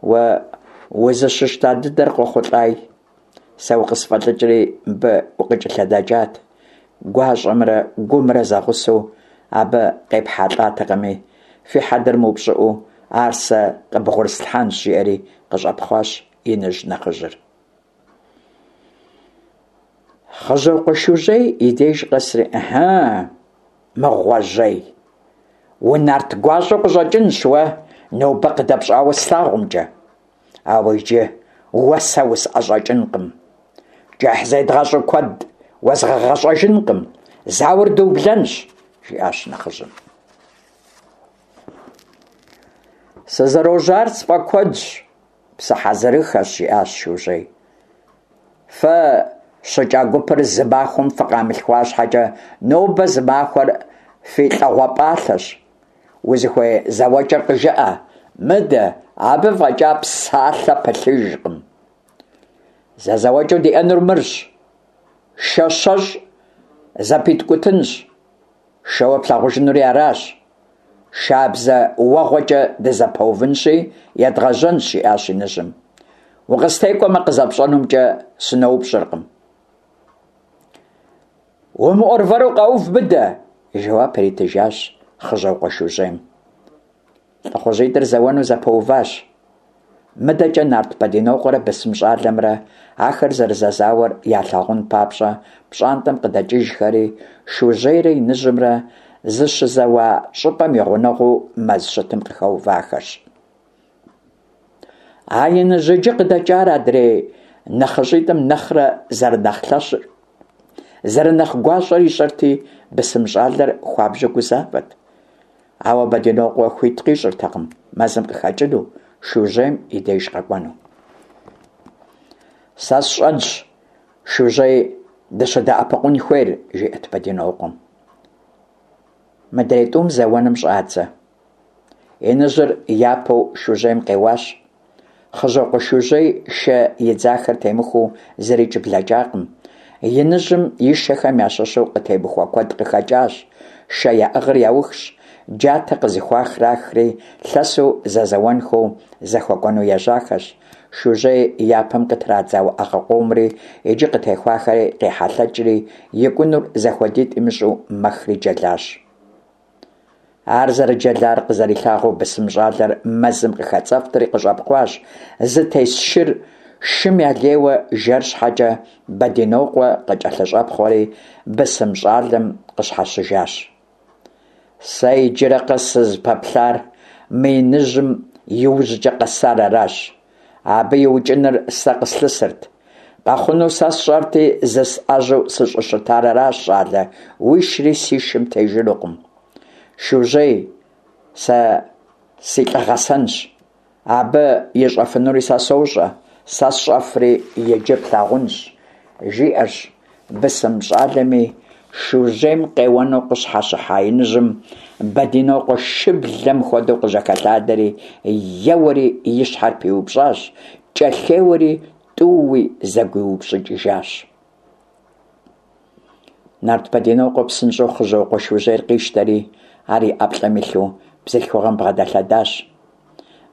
уэ узыщыщта дыдэр къохъулӏай. Сэ укъысфӏэлӏыкӏри мыбы укъыкӏэлъыдэкӏат. Гуащӏэмрэ гумрэ зэгъусэу абы къепхьэлӏатэкъыми, фи хьэдэр мыупщӏыӏуу ар сэ къыбгъурыслъхьэнщ, жиӏэри къыщӏэпхъуащ иныжь нэхъыжьыр. Хъыжьокъуэ Шужьей и деж къэсри, Ыхьы, мыгъуэжьей, унарт гуащӏэу къыщӏэкӏынщ уэ, нобэ къыдэпщӏауэ слъагъумкӏэ. Ауэ иджы уэ сэ усӏэщӏэкӏынкъым. Кӏыхь зедгъэщӏу куэд уэзгъэгъэщӏэжынкъым, зауэр дыублэнщ, жиӏащ нэхъыжьым. Сызэрожьар сфӏэкуэдщ, сыхьэзырыххэщ, жиӏащ Шужьей. Фэ щыкӏа гупыр зы махуэм фыкъамылъхуа щхьэкӏэ, нобэ зы махуэр фи лӏэгъуэ пӏалъэщ. Узыхуей зэуэкӏэр къыжыӏэ, мыдэ, абы фӏэкӏа псалъэ пылъыжкъым. Зэзэуэкӏэу диӏэнур мырщ, шэ щэщӏ зэпиткӏутынщ, шэуэ плъагъужынури аращ. Шабзэ уэгъуэкӏэ дызэпэувынщи, едгъэжьэнщ, жиӏащ иныжьым. Укъыстекӏуэмэ, къызэпщӏэнумкӏэ сыноупщӏыркъым. Умыӏуэрвэру къэув мыдэ, жэуап иритыжащ Хъыжьокъуэ Шужьейм. Лӏыхъужьитӏыр зэуэну зэпэуващ. Мыдэкӏэ нарт Бэдинокъуэрэ бысым щӏалэмрэ ахэр зэрызэзауэр ялъагъун папщӏэ пщӏантӏэм къыдэкӏыжхэри, Шужьейрэ иныжьымрэ зыщызэуа щӏыпӏэм и гъунэгъуу мэз щытым къыхэувахэщ. А иныжь иджы къыдэкӏар адрей нэхъыщӏитӏым нэхърэ зэрынэхъ лъэщыр, зэрынэхъ гуащӏэр ищӏэрти, бысым щӏалэр хуабжьу гузавэт. Ауэ Бэдинокъуэ хуит къищӏыртэкъым мэзым къыхэкӏыну, Шужьейм и деж къэкӏуэну. Сэ сщӏэнщ Шужьей дыщыдэӏэпыкъун хуейр, жиӏэт Бэдинокъуэм. Мыдрей тӏум зэуэным щӏадзэ. Иныжьыр япэу Шужьейм къеуащ. Хъыжьокъуэ Шужьей шэ идзахэр темыхуэу зырикӏ блэкӏакъым. Иныжьым и шэхэм ящыщу къытемыхуэ куэд къыхэкӏащ. Шэ яӏыгъыр яухщ, джатэ къызыхуахрахри, лъэсу зэзэуэнхэу зэхуэкӏуэну ежьахэщ. Шужьей япэм къытрадза уӏэгъэ къомри иджы къытехуахэри къехьэлъэкӏри, икӏунур зэхуэдитӏ имыщӏу мэхри джэлащ. Ар зэрыджэлар къызэрилъагъуу бысым щӏалэр мэзым къыхэцӏэфтри къыщӏэпхъуащ, зытес шыр шым ялейуэ жэр щхьэкӏэ Бэдинокъуэ къыкӏэлъыщӏэпхъуэри бысым щӏалэм къыщхьэщыжащ. Сэ иджырэ къэс сызыпэплъар мы иныжьым и ужькӏэ къэсар аращ. Абы и укӏыныр сэ къыслъысырт. Къэхъуну сэ сщӏэрти, зысӏэжьэу сыщӏыщытар аращ, щӏалэ, уишри си шым тежынукъым. Шужьей, сэ си лӏы гъэсэнщ. Абы ищӏэфынури сэ сощӏэ. Сэ сщӏэфри иджы плъагъунщ, жиӏэщ бысым щӏалэми, Шужьейм къеуэну къыщхьэщыхьа иныжьым Бэдинокъуэ шыблэм хуэдэу къыжьэхэлъадэри, еуэри и щхьэр пиупщӏащ, кӏэлъеуэри тӏууи зэгуиупщӏыкӏыжащ. Нарт Бэдинокъуэ псынщӏэу Хъыжьокъуэ Шужьейр къищтэри, ар и ӏэплӏэм илъу бзылъхугъэм бгъэдэлъэдащ.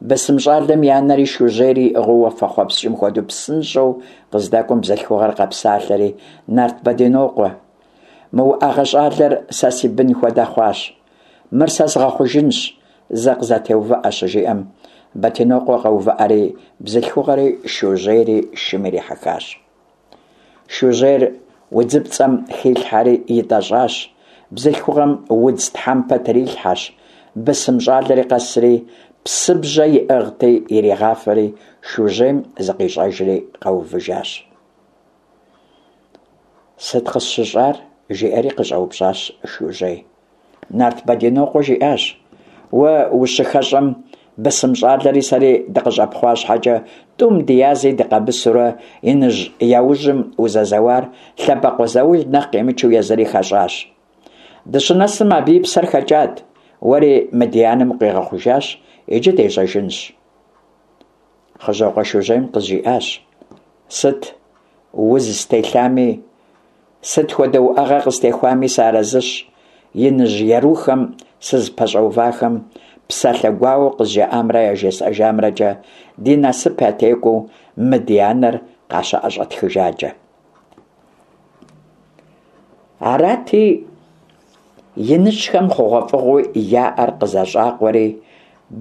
Бысым щӏалэм и анэри Шужьейри иӏыгъыу уафэхъуэпскӏым хуэдэу псынщӏэу къыздэкӏуэм бзылъхугъэр къэпсалъэри, Нарт Бэдинокъуэ, мы уӏэгъэ щӏалэр сэ си бын хуэдэ хъуащ. Мыр сэ згъэхъужынщ, зэ къызэтеувыӏэ, щыжиӏэм, Бэдинокъуэ къэувыӏэри, бзылъхугъэри Шужьейри шым ирихьэхащ. Шужьейр удзыпцӏэм хилъхьэри итӏэщӏащ, бзылъхугъэм удз тхьэмпэ трилъхьэщ, бысым щӏалэри къэсри, псыбжьэ иӏыгъти иригъафэри, Шужьейм зыкъищӏэжри къэувыжащ. Сыт къысщыщӏар? жиӏэри къыщӏэупщӏащ Шужьей. Нарт Бэдинокъуэ жиӏащ, Уэ ущыхэщӏэм, бысым щӏалэри сэри дыкъыщӏэпхъуа щхьэкӏэ, тӏум ди язи дыкъэмысурэ, иныжь яужьым узэзэуар лъэбакъуэ заул нэхъ къимычу езыри хэщӏащ. Дыщынэсым абы и псэр хэкӏат, уэри мы ди анэм укъигъэхъужащ, иджы дежьэжынщ. Хъыжьокъуэ Шужьейм къызжиӏащ, Сыт уз стелъами, сыт хуэдэ уӏэгъэ къыстехуами сыарэзыщ, иныжь ерухэм сызыпэщӏэувахэм псалъэ гуауэу къызжаӏамрэ яжесӏэжамрэкӏэ ди насып ятекӏуэу мы ди анэр къащыӏэщӏэтхыжакӏэ. Арати, иныжьхэм хъугъуэфӏыгъуэу яӏэр къызэщӏакъуэри,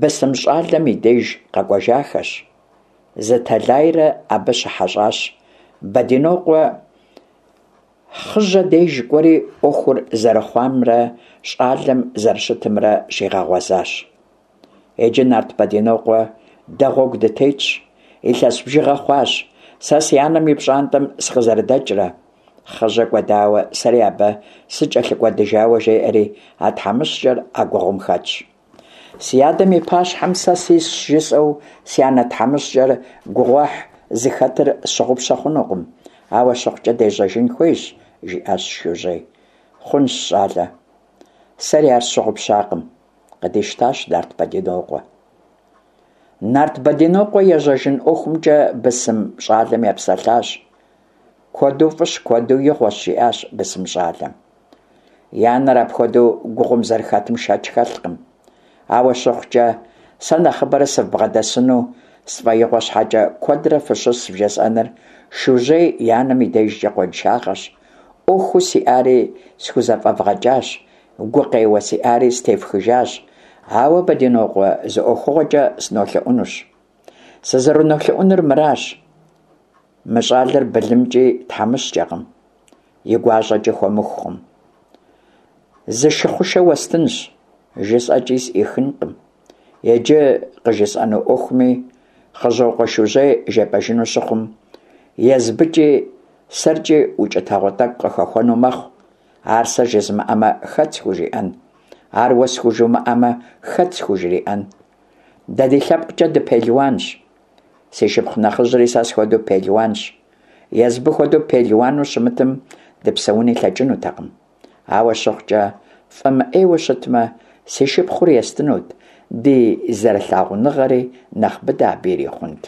бысым щӏалэм и деж къэкӏуэжахэщ. Зы тэлайрэ абы щыхьэщӏащ. Бэдинокъуэ Хъыжьэ деж кӏуэри ӏуэхур зэрыхъуамрэ щӏалэм зэрыщытымрэ щигъэгъуэзащ. Иджы нарт Бэдинокъуэ дэ гъуэгу дытетщ. Илъэс бжыгъэ хъуащ сэ си анэм и пщӏантӏэм сыкъызэрыдэкӏрэ. Хъыжьэ кӏуэдауэ, сэри абы сыкӏэлъыкӏуэдыжауэ жеӏэри, а тхьэмыщкӏэр а гугъум хэтщ. Си адэм и пащхьэм сэ сисщ жысӏэу си анэ тхьэмыщкӏэр гугъуехь зыхэтыр сщыгъупщэ хъунукъым, ауэ щыхъукӏэ дежьэжын хуейщ, жиӏащ Шужьей. Хъунщ, щӏалэ. Сэри ар сщыгъупщакъым, къыдищтащ Нарт Бэдинокъуэ. Нарт Бэдинокъуэ ежьэжын ӏуэхумкӏэ бысым щӏалэм епсэлъащ. Куэду фӏыщ, куэду игъуэщ, жиӏащ бысым щӏалэм. И анэр апхуэдэу гугъум зэрыхэтым шэч хэлъкъым. Ауэ щыхъукӏэ, сэ нэхъыбэрэ сывбгъэдэсыну сфӏэигъуэ щхьэкӏэ куэдрэ фыщыс вжесӏэныр Шужьей и анэм и дежкӏэ къуаншагъэщ. ӏуэхуу сиӏари схузэфӏэвгъэкӏащ, гукъеуэ сиӏари стефхыжащ. Ауэ, Бэдинокъуэ, зы ӏуэхугъуэкӏэ сынолъэӏунущ. Сызэрынолъэӏунур мыращ. Мы щӏалэр былымкӏи тхьэмыщкӏэкъым, и гуащӏэкӏи хуэмыхукъым. Зы шы хъушэ уэстынщ, жысӏэкӏи сӏихынкъым. Иджы къыжысӏэну ӏуэхуми Хъыжьокъуэ Шужьей жепӏэжыну щыхъум, езбыкӏи сэркӏи укӏытэгъуэ тӏэкӏу къыхэхуэну мэхъу. Ар сэ жызмыӏэмэ, хэт схужиӏэн? Ар уэ схужумыӏэмэ, хэт схужриӏэн? Дэ ди лъэпкъкӏэ дыпелуанщ. Си шыпхъу нэхъыжьри сэ схуэдэу пелуанщ. Езбы хуэдэу пелуану щымытым дыпсэуни лъэкӏынутэкъым. Ауэ щыхъукӏэ, фӏэмыӏейуэ щытмэ, си шыпхъур естынут, ди зэрылъагъуныгъэри нэхъ быдэ абы ирихъунт.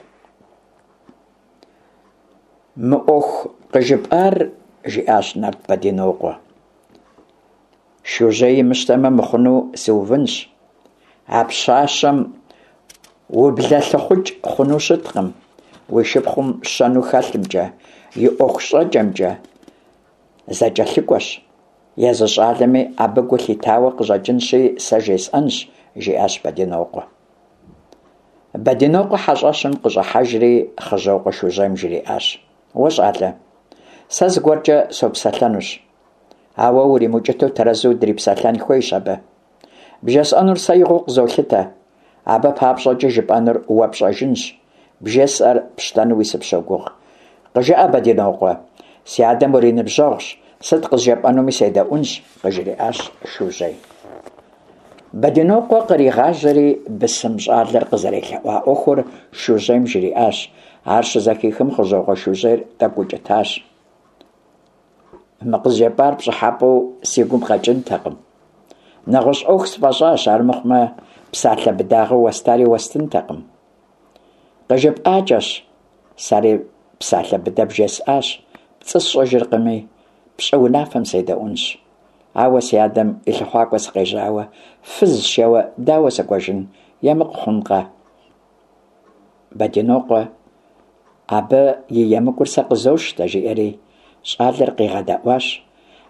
Мы ӏуэху къыжыпӏар, жиӏащ Нарт Бэдинокъуэ. Шужьей имыщтэмэ мыхъуну сыувынщ. А пщащэм ублэлъыхъукӏ хъуну щыткъым, уи шыпхъум щэну хэлъымкӏэ, и ӏуэху щӏэкӏэмкӏэ зэкӏэлъыкӏуэщ. Езы щӏалэми абы гу лъитауэ къыщӏэкӏынщи, сэ жесӏэнщ, жиӏащ Бэдинокъуэ. Бэдинокъуэ хьэщӏэщым къыщӏыхьэжри Хъыжьокъуэ Шужьейм жриӏащ: Уэ, щӏалэ, сэ зыгуэркӏэ сопсэлъэнущ. Ауэ уримыукӏытэу тэрэзу дрипсэлъэн хуейщ абы. Бжесӏэнур сэ игъуэу къызолъытэ. Абы папщӏэкӏэ жыпӏэнур уэ пщӏэжынщ, бжесӏэр пщтэнуи сыпщогугъ. Къыжыӏэ, Бэдинокъуэ, си адэм уриныбжьэгъущ, сыт къызжепӏэнуми седэӏунщ, къыжриӏащ Шужьей. Бэдинокъуэ къригъажьэри бысым щӏалэр къызэрелъэӏуа ӏуэхур Шужьейм жриӏащ. Ар щызэхихым, Хъыжьокъуэ Шужьейр тӏэкӏу укӏытащ. Мы къызжепӏар пщӏыхьэпӏэу си гум къэкӏынтэкъым. Нэгъуэщӏ ӏуэху сфӏэщӏащ, армыхъумэ, псалъэ быдагъэу уэстари уэстынтэкъым. Къыжыпӏакӏэщ, сэри псалъэ быдэ бжесӏащ, пцӏы сщӏыжыркъыми, пщӏы унафэм седэӏуэнщ. Ауэ си адэм и лъыхъуакӏуэ сыкъежьауэ, фыз сшэуэ дауэ сыкӏуэжын, емыкӏу хъункъэ? Бэдинокъуэ абы и емыкӏур сэ къызощтэ, жиӏэри щӏалэр къигъэдэӏуащ.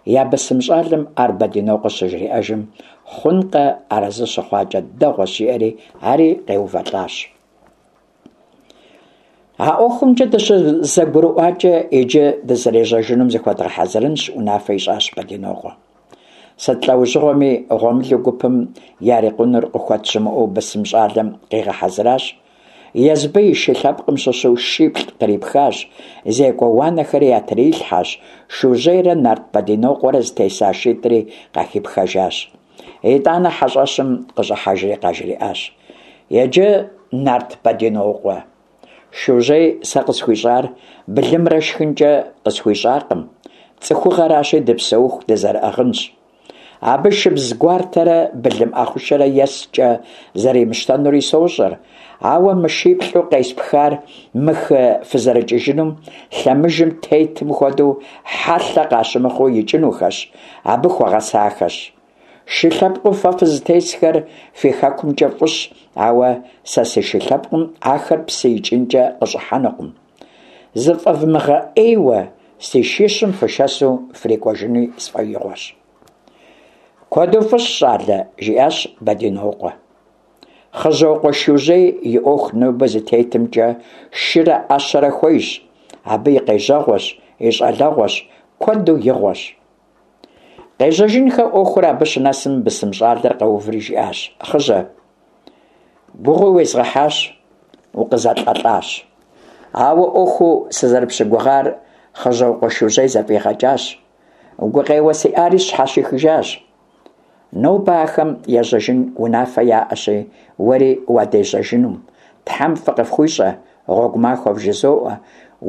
Я бысым щӏалэм ар Бэдинокъуэ щыжриӏэжым, хъункъэ, арэзы щыхъуакӏэ дэгъуэщ, жиӏэри ари къеувэлӏащ. А ӏуэхумкӏэ дыщызэгурыӏуакӏэ, иджы дызэрежьэжынум зыхуэдгъэхьэзырынщ, унафэ ищӏащ Бэдинокъуэ. Сыт лӏэужьыгъуэми гъуэмылэу гупым ярикъунур къыхуэт щымыӏэу бысым щӏалэм къигъэхьэзыращ. Езбы и шы лъэпкъым щыщу шиплӏ кърипхащ, зекӏуэ уанэхэри ятрилъхьэщ, Шужьейрэ Нарт Бэдинокъуэрэ зытеса шитӏри къахипхэжащ. Итӏанэ хьэщӏэщым къыщӏыхьэжри къажриӏащ. Иджы, Нарт Бэдинокъуэ, Шужьей сэ къысхуищӏар былымрэ шхынкӏэ къысхуищӏакъым, цӏыхугъэращи, дыпсэуху дызэрыӏыгъынщ. Абы шыбз гуартэрэ былым ӏэхъушэрэ есткӏэ зэримыщтэнури сощӏэр, ауэ мы шиплӏу къеспхар мы хы фызэрыкӏыжынум лъэмыжым тетым хуэдэу хьэлъэ къащымыхъуу икӏынухэщ, абы хуэгъэсахэщ. Шы лъэпкъыу фэ фызытесхэр фи хэкумкӏэ фӏыщ, ауэ сэ си шы лъэпкъым ахэр псы икӏынкӏэ къыщӏыхьэнукъым. Зыфӏэвмыгъэӏейуэ си шищым фышэсу фрикӏуэжынуи сфӏэигъуэщ. Куэду фӏыщ, щӏалэ, жиӏащ Бэдинокъуэ. Хъыжьокъуэ Шужьей и ӏуэху нобэ зытетымкӏэ шырэ ӏэщэрэ хуейщ, абы и къежьэгъуэщ, и щӏалэгъуэщ, куэду игъуэщ. Къежьэжынхэ ӏуэхур абы щынэсым бысым щӏалэр къэуври жиӏащ, Хъыжьэ, гугъуи уезгъэхьащ, укъызэлӏэлӏащ. Ауэ ӏуэхуу сызэрыпщыгугъар Хъыжьокъуэ Шужьей зэфӏигъэкӏащ. Гукъеуэ сиӏари сщхьэщихыжащ. Нобэ ахэм ежьэжын унафэ яӏэщи, уэри уадежьэжынум. Тхьэм фӏы къыфхуищӏэ, гъуэгу махуэ вжызоӏэ,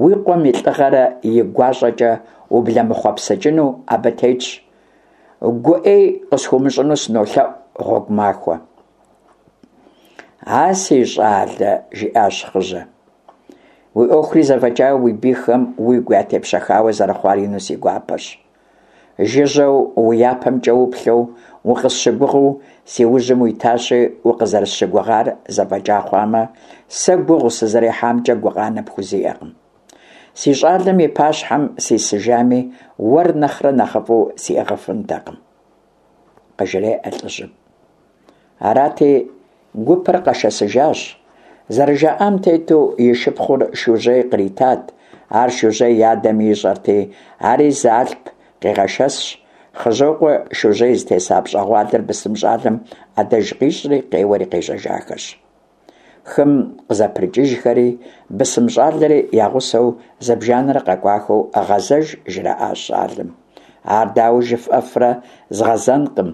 уи къуэм и лӏыгъэрэ и гуащӏэкӏэ ублэмыхъуэпсэкӏыну абы тетщ. Гу ӏей къысхуумыщӏыну сынолъэӏу, гъуэгу махуэ. А си щӏалэ, жиӏащ Хъыжьэ. Уи ӏуэхури зэфӏэкӏауэ уи бийхэм уигу ятепщэхауэ зэрыхъуар ину си гуапэщ. Жыжьэу уи япэмкӏэ уплъэу, укъысщыгугъыу си ужьым уитащи, укъызэрысщыгугъар зэфӏэкӏа хъуамэ, сэ гугъу сызэрехьамкӏэ гукъанэ пхузиӏэкъым. Си щӏалэм и пащхьэм сисыжами, уэр нэхърэ нэхъыфӏу сиӏыгъыфынтэкъым, къыжреӏэ лӏыжьым. Арати, гупыр къэшэсыжащ. Зэрыжаӏам тету, и шыпхъур Шужьей къритат. Ар Шужьей и адэми ищӏэрти, ари зы алъп къигъэшэсщ. Хъыжьокъуэ Шужьей зытеса пщӏэгъуалэр бысым щӏалэм ӏэдэж къищӏри, къеуэри къежьэжахэщ. Хым къызэпрыкӏыжхэри, бысым щӏалэри я гъусэу зыбжанэрэ къэкӏуахэу гъэзэж жраӏащ щӏалэм. Ар дауэ жыфӏэфрэ, згъэзэнкъым,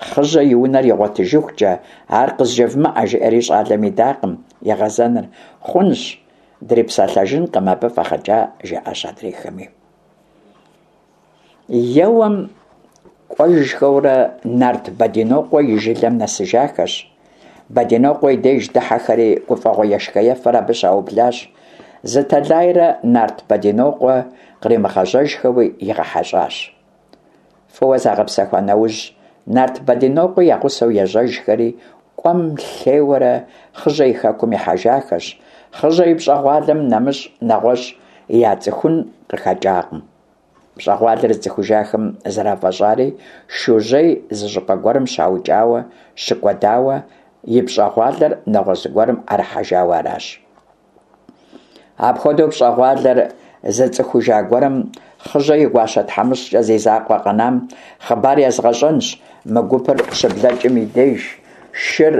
Хъыжьэ и унэр игъуэтыжыхукӏэ, ар къызжевмыӏэ, жиӏэри щӏалэм идакъым игъэзэныр. Хъунщ, дрипсэлъэжынкъым абы фӏэгъэкӏа, жаӏащ адрейхэми. Еуэм кӏуэжхэурэ Нарт Бэдинокъуэ и жылэм нэсыжахэщ. Бэдинокъуэ и деж дыхьэхэри гуфӏэгъуэ ешхэ-ефэр абы щаублащ. Зы тэлайрэ Нарт Бэдинокъуэ къримыгъэжьэжхэуи игъэхьэщӏащ. Фӏыуэ загъэпсэхуа нэужь, Нарт Бэдинокъуи я гъусэу ежьэжхэри, кӏуэм-лъейуэрэ Хъыжьэ и хэкум ихьэжахэщ. Хъыжьэ и пщӏэгъуалэм нэмыщӏ нэгъуэщӏ яцӏыхун къыхэкӏакъым. Пщӏэгъуалэр зыцӏыхужахэм зэрафӏэщӏари Шужьей зы щӏыпӏэ гуэрым щаукӏауэ, щыкӏуэдауэ, и пщӏэгъуалэр нэгъуэщӏ зыгуэрым ӏэрыхьэжауэ аращ. Апхуэдэу пщӏэгъуалэр зыцӏыхужа гуэрым Хъыжьэ и гуащэ тхьэмыщкӏэ зи закъуэ къэнам хъыбар езгъэщӏэнщ, мы гупыр щыблэкӏым и деж шыр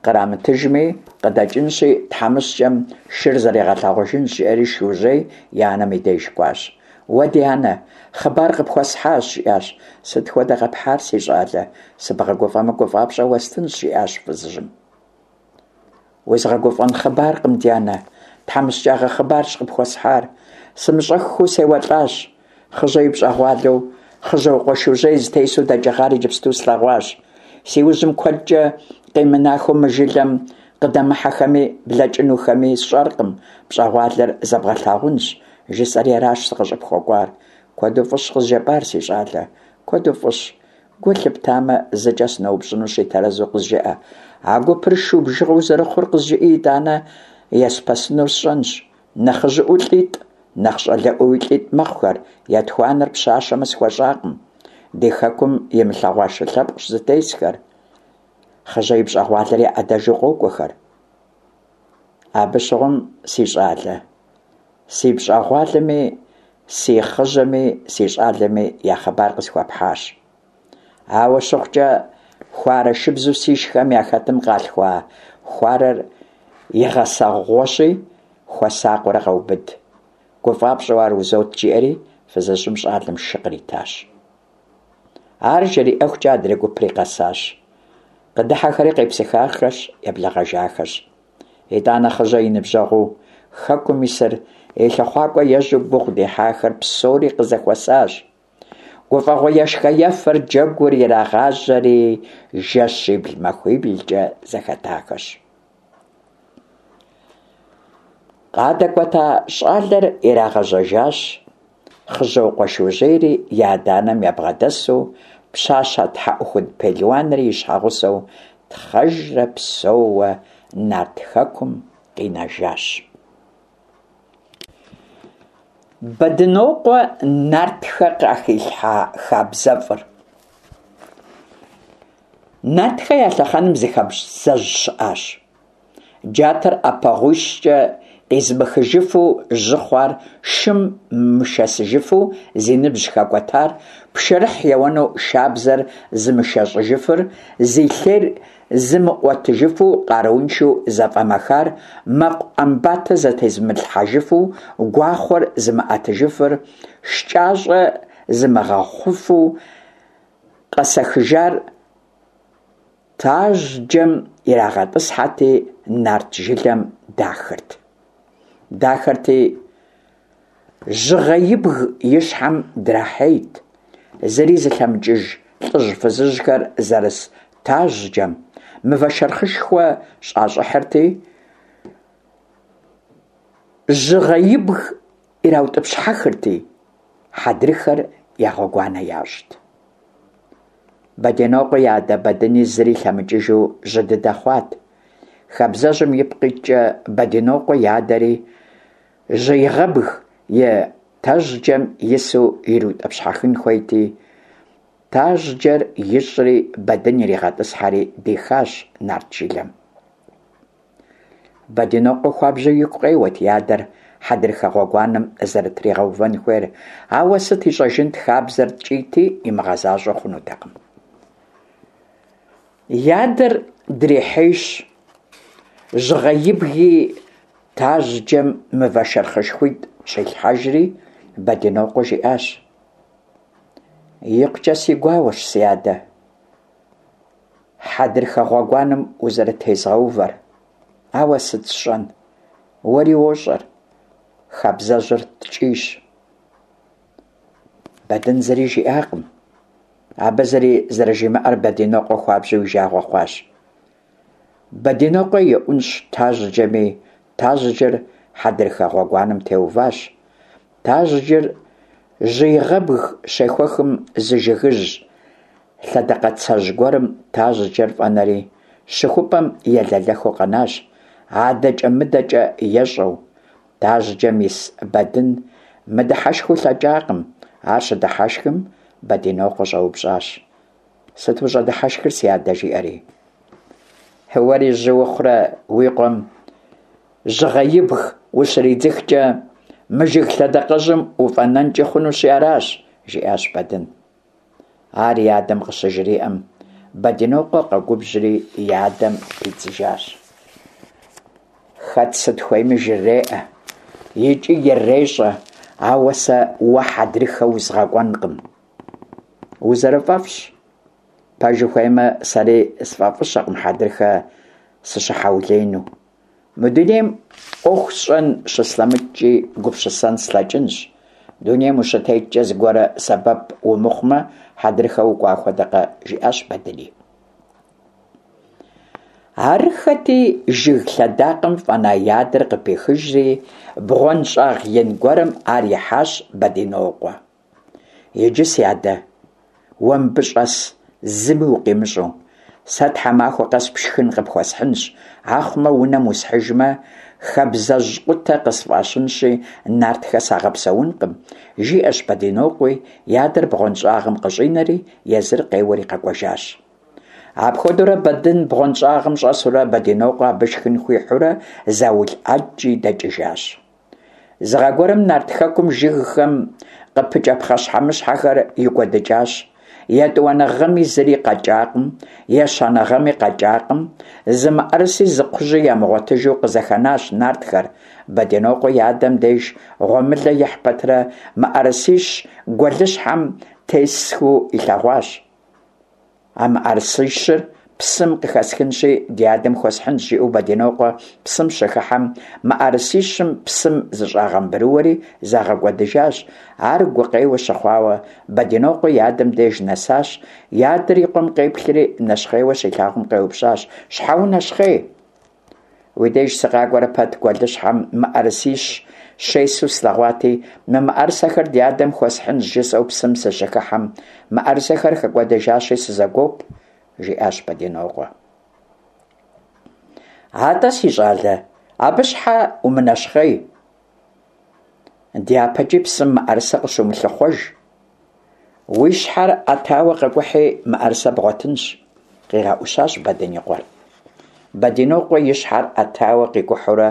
Кърамытыжми, къыдэкӏынщи, тхьэмыщкӏэм шыр зэригъэлъагъужынщ, жиӏэри Шужьей и анэм и деж кӏуащ. Уэ, ди анэ, хъыбар къыпхуэсхьащ, жиӏащ. Сыт хуэдэ къэпхьар, си щӏалэ? Сыбгъэгуфӏэмэ, гуфӏапщӏэ уэстынщ, жиӏащ фызыжьым. Узгъэгуфӏэн хъыбаркъым, ди анэ. Тхьэмыщкӏагъэ хъыбарщ къыпхуэсхьар. Сымыщӏэххэу сеуэлӏащ. Хъыжьэ и пщӏэгъуалэу Хъыжьокъуэ Шужьей зытесу дэкӏыгъар иджыпсту слъэгъуащ. Си ужьым куэдкӏэ къимынахэу мы жылэм къыдэмыхьэхэми блэкӏынухэми сщӏэркъым, пщӏэгъуалэр зэбгъэлъагъунщ, жысӏэри аращ сыкъыщӏыпхуэкӏуар. Куэду фӏыщ къызжепӏар, си щӏалэ, куэду фӏыщ. Гу лъыптамэ, зыкӏэ сыноупщӏынущи, тэрэзу къызжыӏэ. А гупыр шу бжыгъэу зэрыхъур къызжыӏи, итӏанэ еспэсынур сщӏэнщ. Нэхъыжьыӏуэу лӏитӏ, нэхъ щӏалэӏуэуи лӏитӏ мэхъухэр, етхуанэр пщащэмэ схуэщӏакъым. Ди хэкум имылъэгъуа шы лъэпкъщ зытесхэр. Хъыжьэ и пщӏэгъуалэр я ӏэдэжу къокӏуэхэр. Абы щыгъуэм, си щӏалэ, си пщӏэгъуалэми, си хъыжьэми, си щӏалэми я хъыбар къысхуэпхьащ. Ауэ щыхъукӏэ, хуарэ шыбзу сишхэм яхэтым къалъхуа хуарэр и гъэсэгъуэщи, хуэсакъыурэ къэубыд. Гуфӏапщӏэу ар узот, жиӏэри фызыжьым щӏалэм шы къритащ. Ар жриӏэхукӏэ адрей гупри къэсащ. Къыдыхьэхэри къепсыхахэщ, еблэгъэжахэщ. Итӏанэ Хъыжьэ и ныбжьэгъуу хэкум исыр и лъыхъуакӏуэ ежьэу гугъу дехьахэр псори къызэхуэсащ. Гуфӏэгъуэ ешхэ-ефэр джэгур ирагъажьэри жэщибл-махуиблкӏэ зэхэтахэщ. Къадэкӏуэта щӏалэр ирагъэжьэжащ, Хъыжьокъуэ Шужьейри и адэ-анэм ябгъэдэсу, пщащэ тхьэӏухуд пелуанри и щхьэгъусэу тхъэжрэ псэууэ Нарт Хэкум къинэжащ. Бэдынокъуэ нартхэ къахилъхьа хабзэфӏыр. Нартхэ я лъэхъэнэм зы хабзэжь щыӏащ. Джатэр ӏэпэгъуищкӏэ къизымыхыжыфу жьы хъуар, шым мышэсыжыфу зи ныбжь хэкӏуэтар, пшэрыхь еуэну шабзэр зымышэщӏыжыфыр, зи лъейр зымыӏуэтыжыфу къарууншэу зэфӏэмэхар, мэкъу ӏэмбатэ зэтезымылъхьэжыфу гуахъуэр зымыӏэтыжыфыр, шкӏащӏэ зымыгъэхъуфу къэсэхыжар тажьджэм ирагъэтӏысхьэти, нарт жылэм дахырт. Дахырти, Жьыгъэибг и щхьэм драхьейт, зыри зылъэмыкӏыж лӏыжь-фызыжьхэр зэрыс тажьджэм мывэ шэрхъышхуэ щӏащӏыхьырти, Жьыгъэибг ираутӏыпщхьэхырти, хьэдрыхэр я гъуэгуанэ ящӏт. Бэдинокъуэ и адэ Бэдыни зыри лъэмыкӏыжу жьы дыдэ хъуат. Хабзэжьым ипкъ иткӏэ Бэдинокъуэ и адэри Жьыгъэибг и тажьджэм ису ириутӏыпщхьэхын хуейти, тажьджэр ищӏри Бэдын иригъэтӏысхьэри дихащ нарт жылэм. Бэдинокъуэ хуабжьу игу къеуэт и адэр хьэдрыхэ гъуэгуанэм зэрытригъэувэн хуейр, ауэ сыт ищӏэжынт, хабзэр ткӏийти, имыгъэзащӏэу хъунутэкъым. И адэр дрихьейщ, Жьыгъэибги тажьджэм мывэ шэрхъышхуитӏ щилъхьэжри, Бэдинокъуэ жиӏащ: Икъукӏэ си гуауэщ, си адэ, хьэдрыхэ гъуэгуанэм узэрытезгъэувэр, ауэ сыт сщӏэн, уэри уощӏэр, хабзэжьыр ткӏийщ. Бэдын зыри жиӏакъым. Абы зыри зэрыжимыӏэр Бэдинокъуэ хуабжьу и жагъуэ хъуащ. Бэдинокъуэ еӏунщӏ тажьджэми, тажьджэр хьэдрыхэ гъуэгуанэм теуващ. Тажьджэр Жьыгъэибг щехуэхым зы жыгыжь лъэдакъэцэжь гуэрым тажьджэр фӏэнэри, щыхупӏэм елэлэхыу къэнащ, адэкӏэ-мыдэкӏэ ещӏэу. Тажьджэм ис Бэдын мыдыхьэшхыу лъэкӏакъым. Ар щыдыхьэшхым, Бэдинокъуэ щӏэупщӏащ. Сыт ущӏэдыхьэшхыр, си адэ? жиӏэри. Уэри жьы ухъурэ уи къуэм Жьыгъэибг ущридзыхкӏэ, мы жыг лъэдакъэжьым уфӏэнэнкӏи хъунущи аращ, жиӏащ Бэдын. Ар и адэм къыщыжриӏэм, Бэдинокъуэ къэгубжьри и адэм пидзыжащ. Хэт сыт хуейми жреӏэ икӏи ирещӏэ, ауэ сэ уэ хьэдрыхэ узгъэкӏуэнкъым. Узэрыфӏэфӏщ. Пэж ухуеймэ, сэри сфӏэфӏыщэкъым хьэдрыхэ сыщыхьэулеину. Мы дунейм ӏуэху сщӏэн щыслъэмыкӏкӏи, гупсысэн слъэкӏынщ. Дунейм ущытеткӏэ зыгуэрэ сэбэп умыхъумэ, хьэдрыхэ укӏуа хуэдэкъэ, жиӏащ Бэдыни. Арыххэти, жыг лъэдакъэм фӏэна и адэр къыпихыжри, бгъуэнщӏагъ ин гуэрым ар ихьащ Бэдинокъуэ. Иджы, си адэ, уэ мыбы щӏэс, зыми укъимыщӏэу. Сэ тхьэмахуэ къэс пшхын къыпхуэсхьынщ, ахъумэ унэм усхьыжмэ, хабзэжькъутэ къысфӏащынщи, нартхэ сагъэпсэункъым, жиӏэщ Бэдинокъуи, и адэр бгъуэнщӏагъым къыщӏинэри, езыр къеуэри къэкӏуэжащ. Апхуэдэурэ Бэдын бгъуэнщӏагъым щӏэсурэ Бэдинокъуэ абы шхын хуихьурэ заул ӏэджи дэкӏыжащ. Зы гъэ гуэрым Нарт Хэкум жыгхэм къыпыкӏэ пхъэщхьэмыщхьэхэр икӏуэдыкӏащ. Етӏуанэ гъэми зыри къэкӏакъым, ещанэ гъэми къэкӏакъым, зы мыӏэрыси зы кхъужьи ямыгъуэтыжу къызэхэнащ нартхэр. Бэдинокъуэ и адэм деж гъуэмылэ ихь пэтрэ мыӏэрысищ гуэлыщхьэм тесхэу илъэгъуащ. А мыӏэрысищыр псым къыхэсхынщи, ди адэм хуэсхьынщ, жиӏэу Бэдинокъуэ псым щыхыхьэм, мыӏэрысищым псым зыщӏагъэмбрыуэри загъэкӏуэдыжащ. Ар гукъеуэ щыхъуауэ, Бэдинокъуэ и адэм деж нэсащ. И адэр и къуэм къеплъри, нэщхъейуэ щилъагъум къеупщӏащ: Щхьэ унэщхъей? Уи деж сыкъакӏуэрэ пэт гуэлыщхьэм мыӏэрысищ щесу слъэгъуати, мы мыӏэрысэхэр ди адэм хуэсхьынщ жысӏэу псым сыщыхыхьэм, мыӏэрысэхэр хэкӏуэдэжащи сызэгуоп, жиӏащ Бэдинокъуэ. Атӏэ, си щӏалэ, абы щхьэ умынэщхъей? Дяпэкӏи псым мыӏэрысэ къыщумылъыхъуэж. Уи щхьэр ӏэтауэ къэкӏухьи, мыӏэрысэ бгъуэтынщ, къигъэӏущащ Бэдын и къуэр. Бэдинокъуэ и щхьэр ӏэтауэ къикӏухьурэ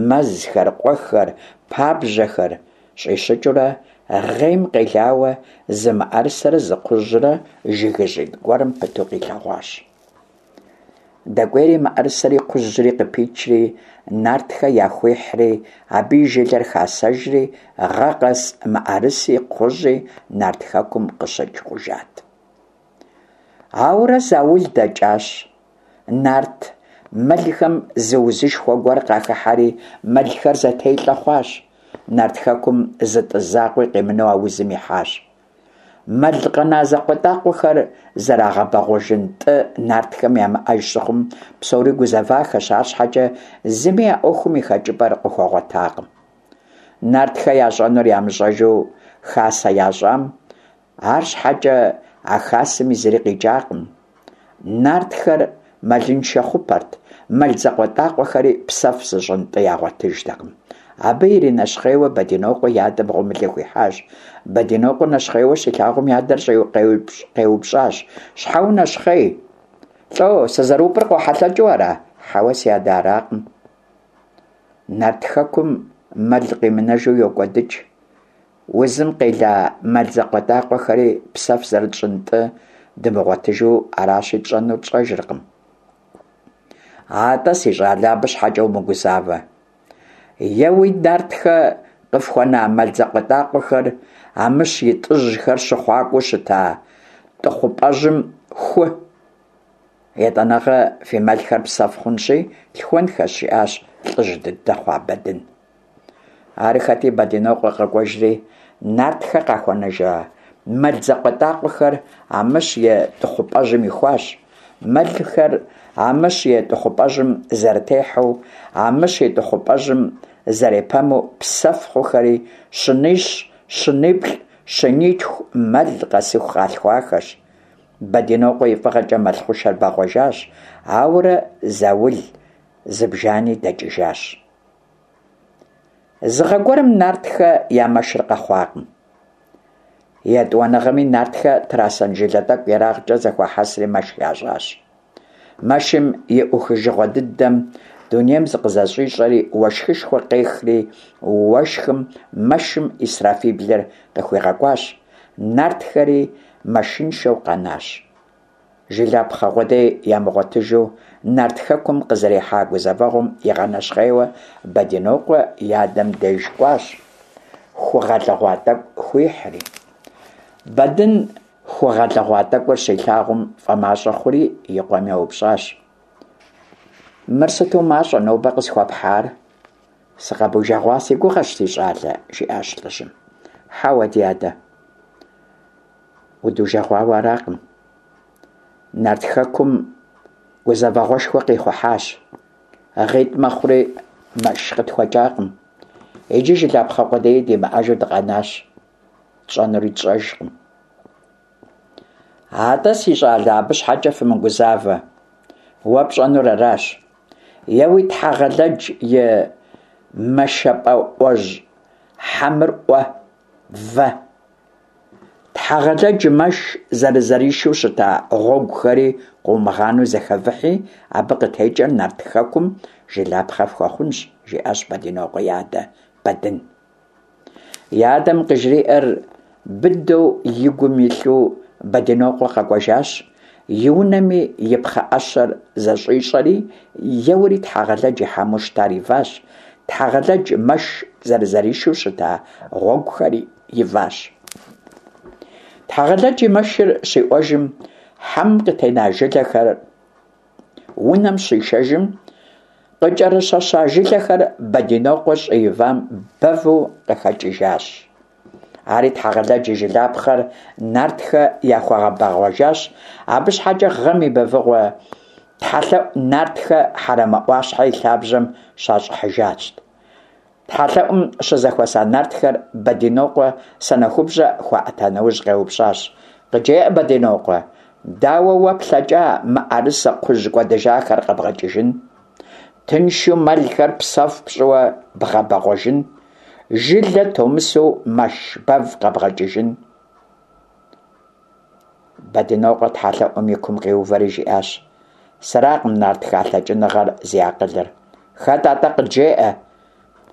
мэзхэр, къуэхэр, пабжьэхэр щӏищыкӏыурэ гъейм къелауэ зы мыӏэрысэрэ зы кхъужьрэ жыгыжьитӏ гуэрым пыту къилъэгъуащ. Дэкӏуейри мыӏэрысэри кхъужьри къыпичри, нартхэ яхуихьри, абы и жылэр хасэжри, гъэ къэс мыӏэрыси кхъужьи Нарт Хэкум къыщыкӏ хъужат. Ауэрэ заул дэкӏащ. Нарт мэлхэм зы узышхуэ гуэр къахыхьэри, мэлхэр зэтелӏэ хъуащ. Нарт Хэкум зы тӏы закъуи къимынэу а узым ихьащ. Мэл къэна закъуэтӏакъуэхэр зэрагъэбэгъуэжын тӏы нартхэм ямыӏэж щыхъум, псори гузэвахэщ, арщхьэкӏэ зыми а ӏуэхум и хэкӏыпӏэр къыхуэгъуэтакъым. Нартхэ ящӏэнур ямыщӏэжу хасэ ящӏам, арщхьэкӏэ а хасэми зыри къикӏакъым. Нартхэр мэлыншэ хъупэрт, мэл закъуэтӏакъуэхэри псэф зыщӏын тӏы ягъуэтыжтэкъым. Абы иринэщхъейуэ Бэдинокъуэ и адэм гъуэмылэ хуихьащ. Бэдинокъуэ нэщхъейуэ щилъагъум и адэр къеупщӏащ: Щхьэ унэщхъей? Лӏо, сызэрупӏыр къохьэлъэкӏыу ара? Хьэуэ, си адэ, аракъым. Нарт Хэкум мэл къимынэжу йокӏуэдыкӏ. Узым къела мэл закъуэтӏакъуэхэри псэф зэрытщӏын тӏы дымыгъуэтыжу аращи, тщӏэнур тщӏэжыркъым. Атӏэ, си щӏалэ, абы щхьэкӏэ умыгузавэ. Еуи, нартхэ къыфхуэна мэл закъуэтӏакъуэхэр Амыщ и тӏыжьхэр щыхъуакӏуэу щыта тӏыхъупӏэжьым ху. Етӏанэгъэ фи мэлхэр псэф хъунщи, лъхуэнхэщ, жиӏащ лӏыжь дыдэ хъуа Бэдын. Арыххэти, Бэдинокъуэ къэкӏуэжри, нартхэ къахуэнэжа мэл закъуэтӏакъуэхэр Амыщ и тӏыхъупӏэжьым ихуащ. Мэлхэр Амыщ и тӏыхъупӏэжьым зэрытехьэу, Амыщ и тӏыхъупӏэжьым зэрепэму псэф хъухэри щынищ, щыниплӏ, щынитху мэл къэсыху къалъхуахэщ. Бэдинокъуэ и фӏыгъэкӏэ мэл хъушэр бэгъуэжащ, ауэрэ заул зыбжани дэкӏыжащ. Зы гъэ гуэрым нартхэ я мэшыр къэхъуакъым. Етӏуанэгъэми нартхэ трасэн жылэ тӏэкӏу ерагъкӏэ зэхуахьэсри мэш ящӏащ. Мэшым и ӏухыжыгъуэ дыдэм дунейм зыкъызэщӏищӏэри уэшхышхуэ къехри, уэшхым мэшым ӏисрафиблыр къыхуигъэкӏуащ, нартхэри мэшыншэу къэнащ. Жылапхъэ къудей ямыгъуэтыжу Нарт Хэкум къызэрихьа гузэвэгъуэм игъэнэщхъейуэ Бэдинокъуэ и адэм деж кӏуащ, ху гъэлыгъуа тӏэкӏу хуихьри. Бэдын ху гъэлыгъуа тӏэкӏур щилъагъум фӏэмащӏэ хъури и къуэм еупщӏащ. Мыр сыту мащӏэ нобэ къысхуэпхьар? Сыкъэбужэгъуа си гугъэщ, си щӏалэ, жиӏащ лӏыжьым. Хьэуэ, ди адэ, удужэгъуауэ аракъым. Нарт Хэкум гузэвэгъуэшхуэ къихъухьащ. Гъитӏ мэхъури мэш къытхуэкӏакъым. Иджы жылапхъэ къудеи димыӏэжу дыкъэнащ. Тщӏэнури тщӏэжкъым. Атӏэ, си щӏалэ, абы щхьэкӏэ фымыгузавэ. Уэ пщӏэнур аращ. Еуи Тхьэгъэлэдж и мэшэпӏэӏуэжь хьэмыр ӏуэ, вэ. Тхьэгъэлэдж мэш зэрызэришэу щыта гъуэгухэри къыумыгъанэу зэхэвыхьи, абы къытекӏэр Нарт Хэкум жылапхъэ фхуэхъунщ, жиӏащ Бэдинокъуэ и адэ Бэдын. И адэм къыжриӏэр быдэу и гум илъу Бэдинокъуэ къэкӏуэжащ, и унэми и пхъэӏэщэр зэщӏищӏэри, еуэри Тхьэгъэлэдж и хьэму щытар иващ, Тхьэгъэлэдж мэш зэрызэришэу щыта гъуэгухэри иващ. Тхьэгъэлэдж и мэшыр щиӏуэжым, хьэмым къытена жылэхэр унэм щишэжым, къыкӏэрыщэща жылэхэр Бэдинокъуэ щӏы ивам бэву къыхэкӏыжащ. Ари Тхьэгъэлэдж и жылапхъэр нартхэ яхуэгъэбэгъуэжащ, абы щхьэкӏэ гъэм и бэвыгъуэ тхьэлъэӏу нартхэ Хьэрэмэ ӏуащхьэ и лъабжьэм щащӏыхьыжащ. Тхьэлъэӏум щызэхуэса нартхэр Бэдинокъуэ санэхубжьэ хуаӏэта нэужь къеупщӏащ, Къыджеӏэ, Бэдинокъуэ, дауэ уэ плъэкӏа мыӏэрысэ кхъужь кӏуэдыжахэр къэбгъэкӏыжын? Тыншу мэлхэр псэф пщӏыуэ бгъэбэгъуэжын? Жылэ томысэу мэш бэв къэбгъэкӏыжын? Бэдынокъуэ тхьэлъэӏум и кум къиувэри жиӏащ, Сэракъым нартхэ а лъэкӏыныгъэр зи акъылыр. Хэт атӏэ къыджеӏэ?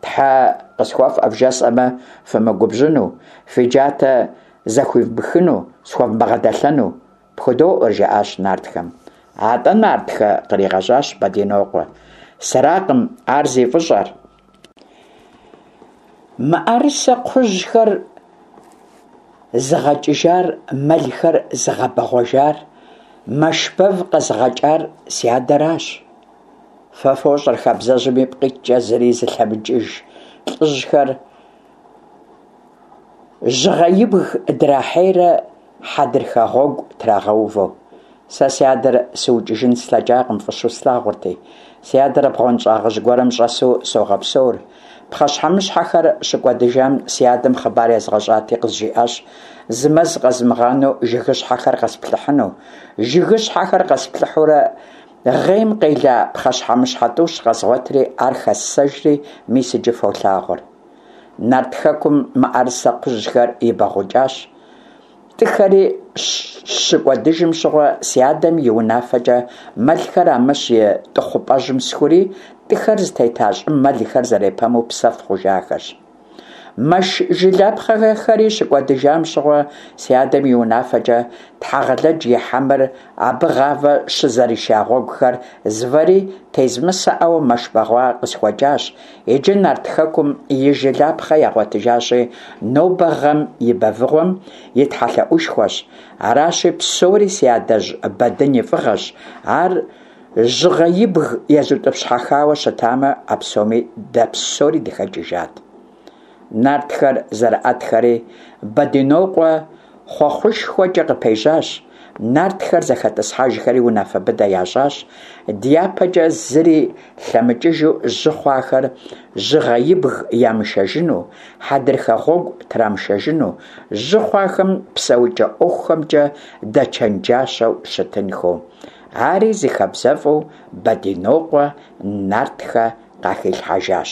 Тхьэ къысхуэфӏэ вжесӏэмэ, фымыгубжьыну, фи джатэ зэхуивмыхыну, схуэвмыгъэдэлъэну. Пхудоӏуэр, жаӏащ нартхэм. Атӏэ, нартхэ, къригъэжьащ Бэдинокъуэ, сэракъым ар зи фӏыщӏэр. Мыӏэрысэ кхъужьхэр зыгъэкӏыжар, мэлхэр зыгъэбэгъуэжар, мэш бэв къэзыгъэкӏар си адэращ. Фэ фощӏэр хабзэжьым ипкъ иткӏэ зыри зылъэмыкӏыж лӏыжьхэр жьыгъэибг драхьейрэ хьэдрыхэ гъуэгу трагъэувэу. Сэ си адэр сыукӏыжын слъэкӏакъым, фӏыщэу слъагъурти. Си адэр бгъуэнщӏагъыжь гуэрым щӏэсу согъэпсэур. Пхъэщхьэмыщхьэхэр щыкӏуэдыжам си адэм хъыбар езгъэщӏати, къызжиӏащ зы мэз къэзмыгъанэу жыгыщхьэхэр къэсплъыхьыну. Жыгыщхьэхэр къэсплъыхьурэ гъейм къела пхъэщхьэмыщхьэ тӏущ къэзгъуэтри, ар хэссэжри, мис иджы фолъагъур. Нарт Хэкум мыӏэрысэ кхъужьхэр ибэгъукӏащ. Тӏыхэри щыкӏуэдыжым щыгъуэ си адэм и унафэкӏэ мэлхэр Амыщ и тӏыхъупӏэжьым схури, тӏыхэр зытета щӏым мэлхэр зэрепэму псэф хъужахэщ. Мэш жылапхъэхэри щыкӏуэдыжам щыгъуэ си адэм и унафэкӏэ Тхьэгъэлэдж и хьэмыр абы гъавэ щызэриша гъуэгухэр звэри, тезмысэӏэу мэш бэгъуа къысхуэкӏащ, Иджы Нарт Хэкум и жылапхъэ ягъуэтыжащи, нобэ гъэм и бэвыгъуэм и тхьэлъэӏушхуэщ. Аращи, псори си адэжь Бэдын и фӏыгъэщ. Ар жьыгъэибг езутӏыпщхьэхауэ щытамэ, а псоми дэ псори дыхэкӏыжат. Нартхэр зэрыӏэтхэри, Бэдынокъуэ хъуэхъушхуэкӏэ къыпежьащ, нартхэр зэхэтӏысхьэжхэри унафэ быдэ ящӏащ, дяпэкӏэ зыри лъэмыкӏыжу жьы хъуахэр жьыгъэибг ямышэжыну, хьэдрыхэ гъуэгу трамышэжыну, жьы хъуахэм псэукӏэ ӏуэхухэмкӏэ дэчэнджащэу щытынхэу. Ари зы хабзэфӏу Бэдинокъуэ нартхэ къахилъхьэжащ.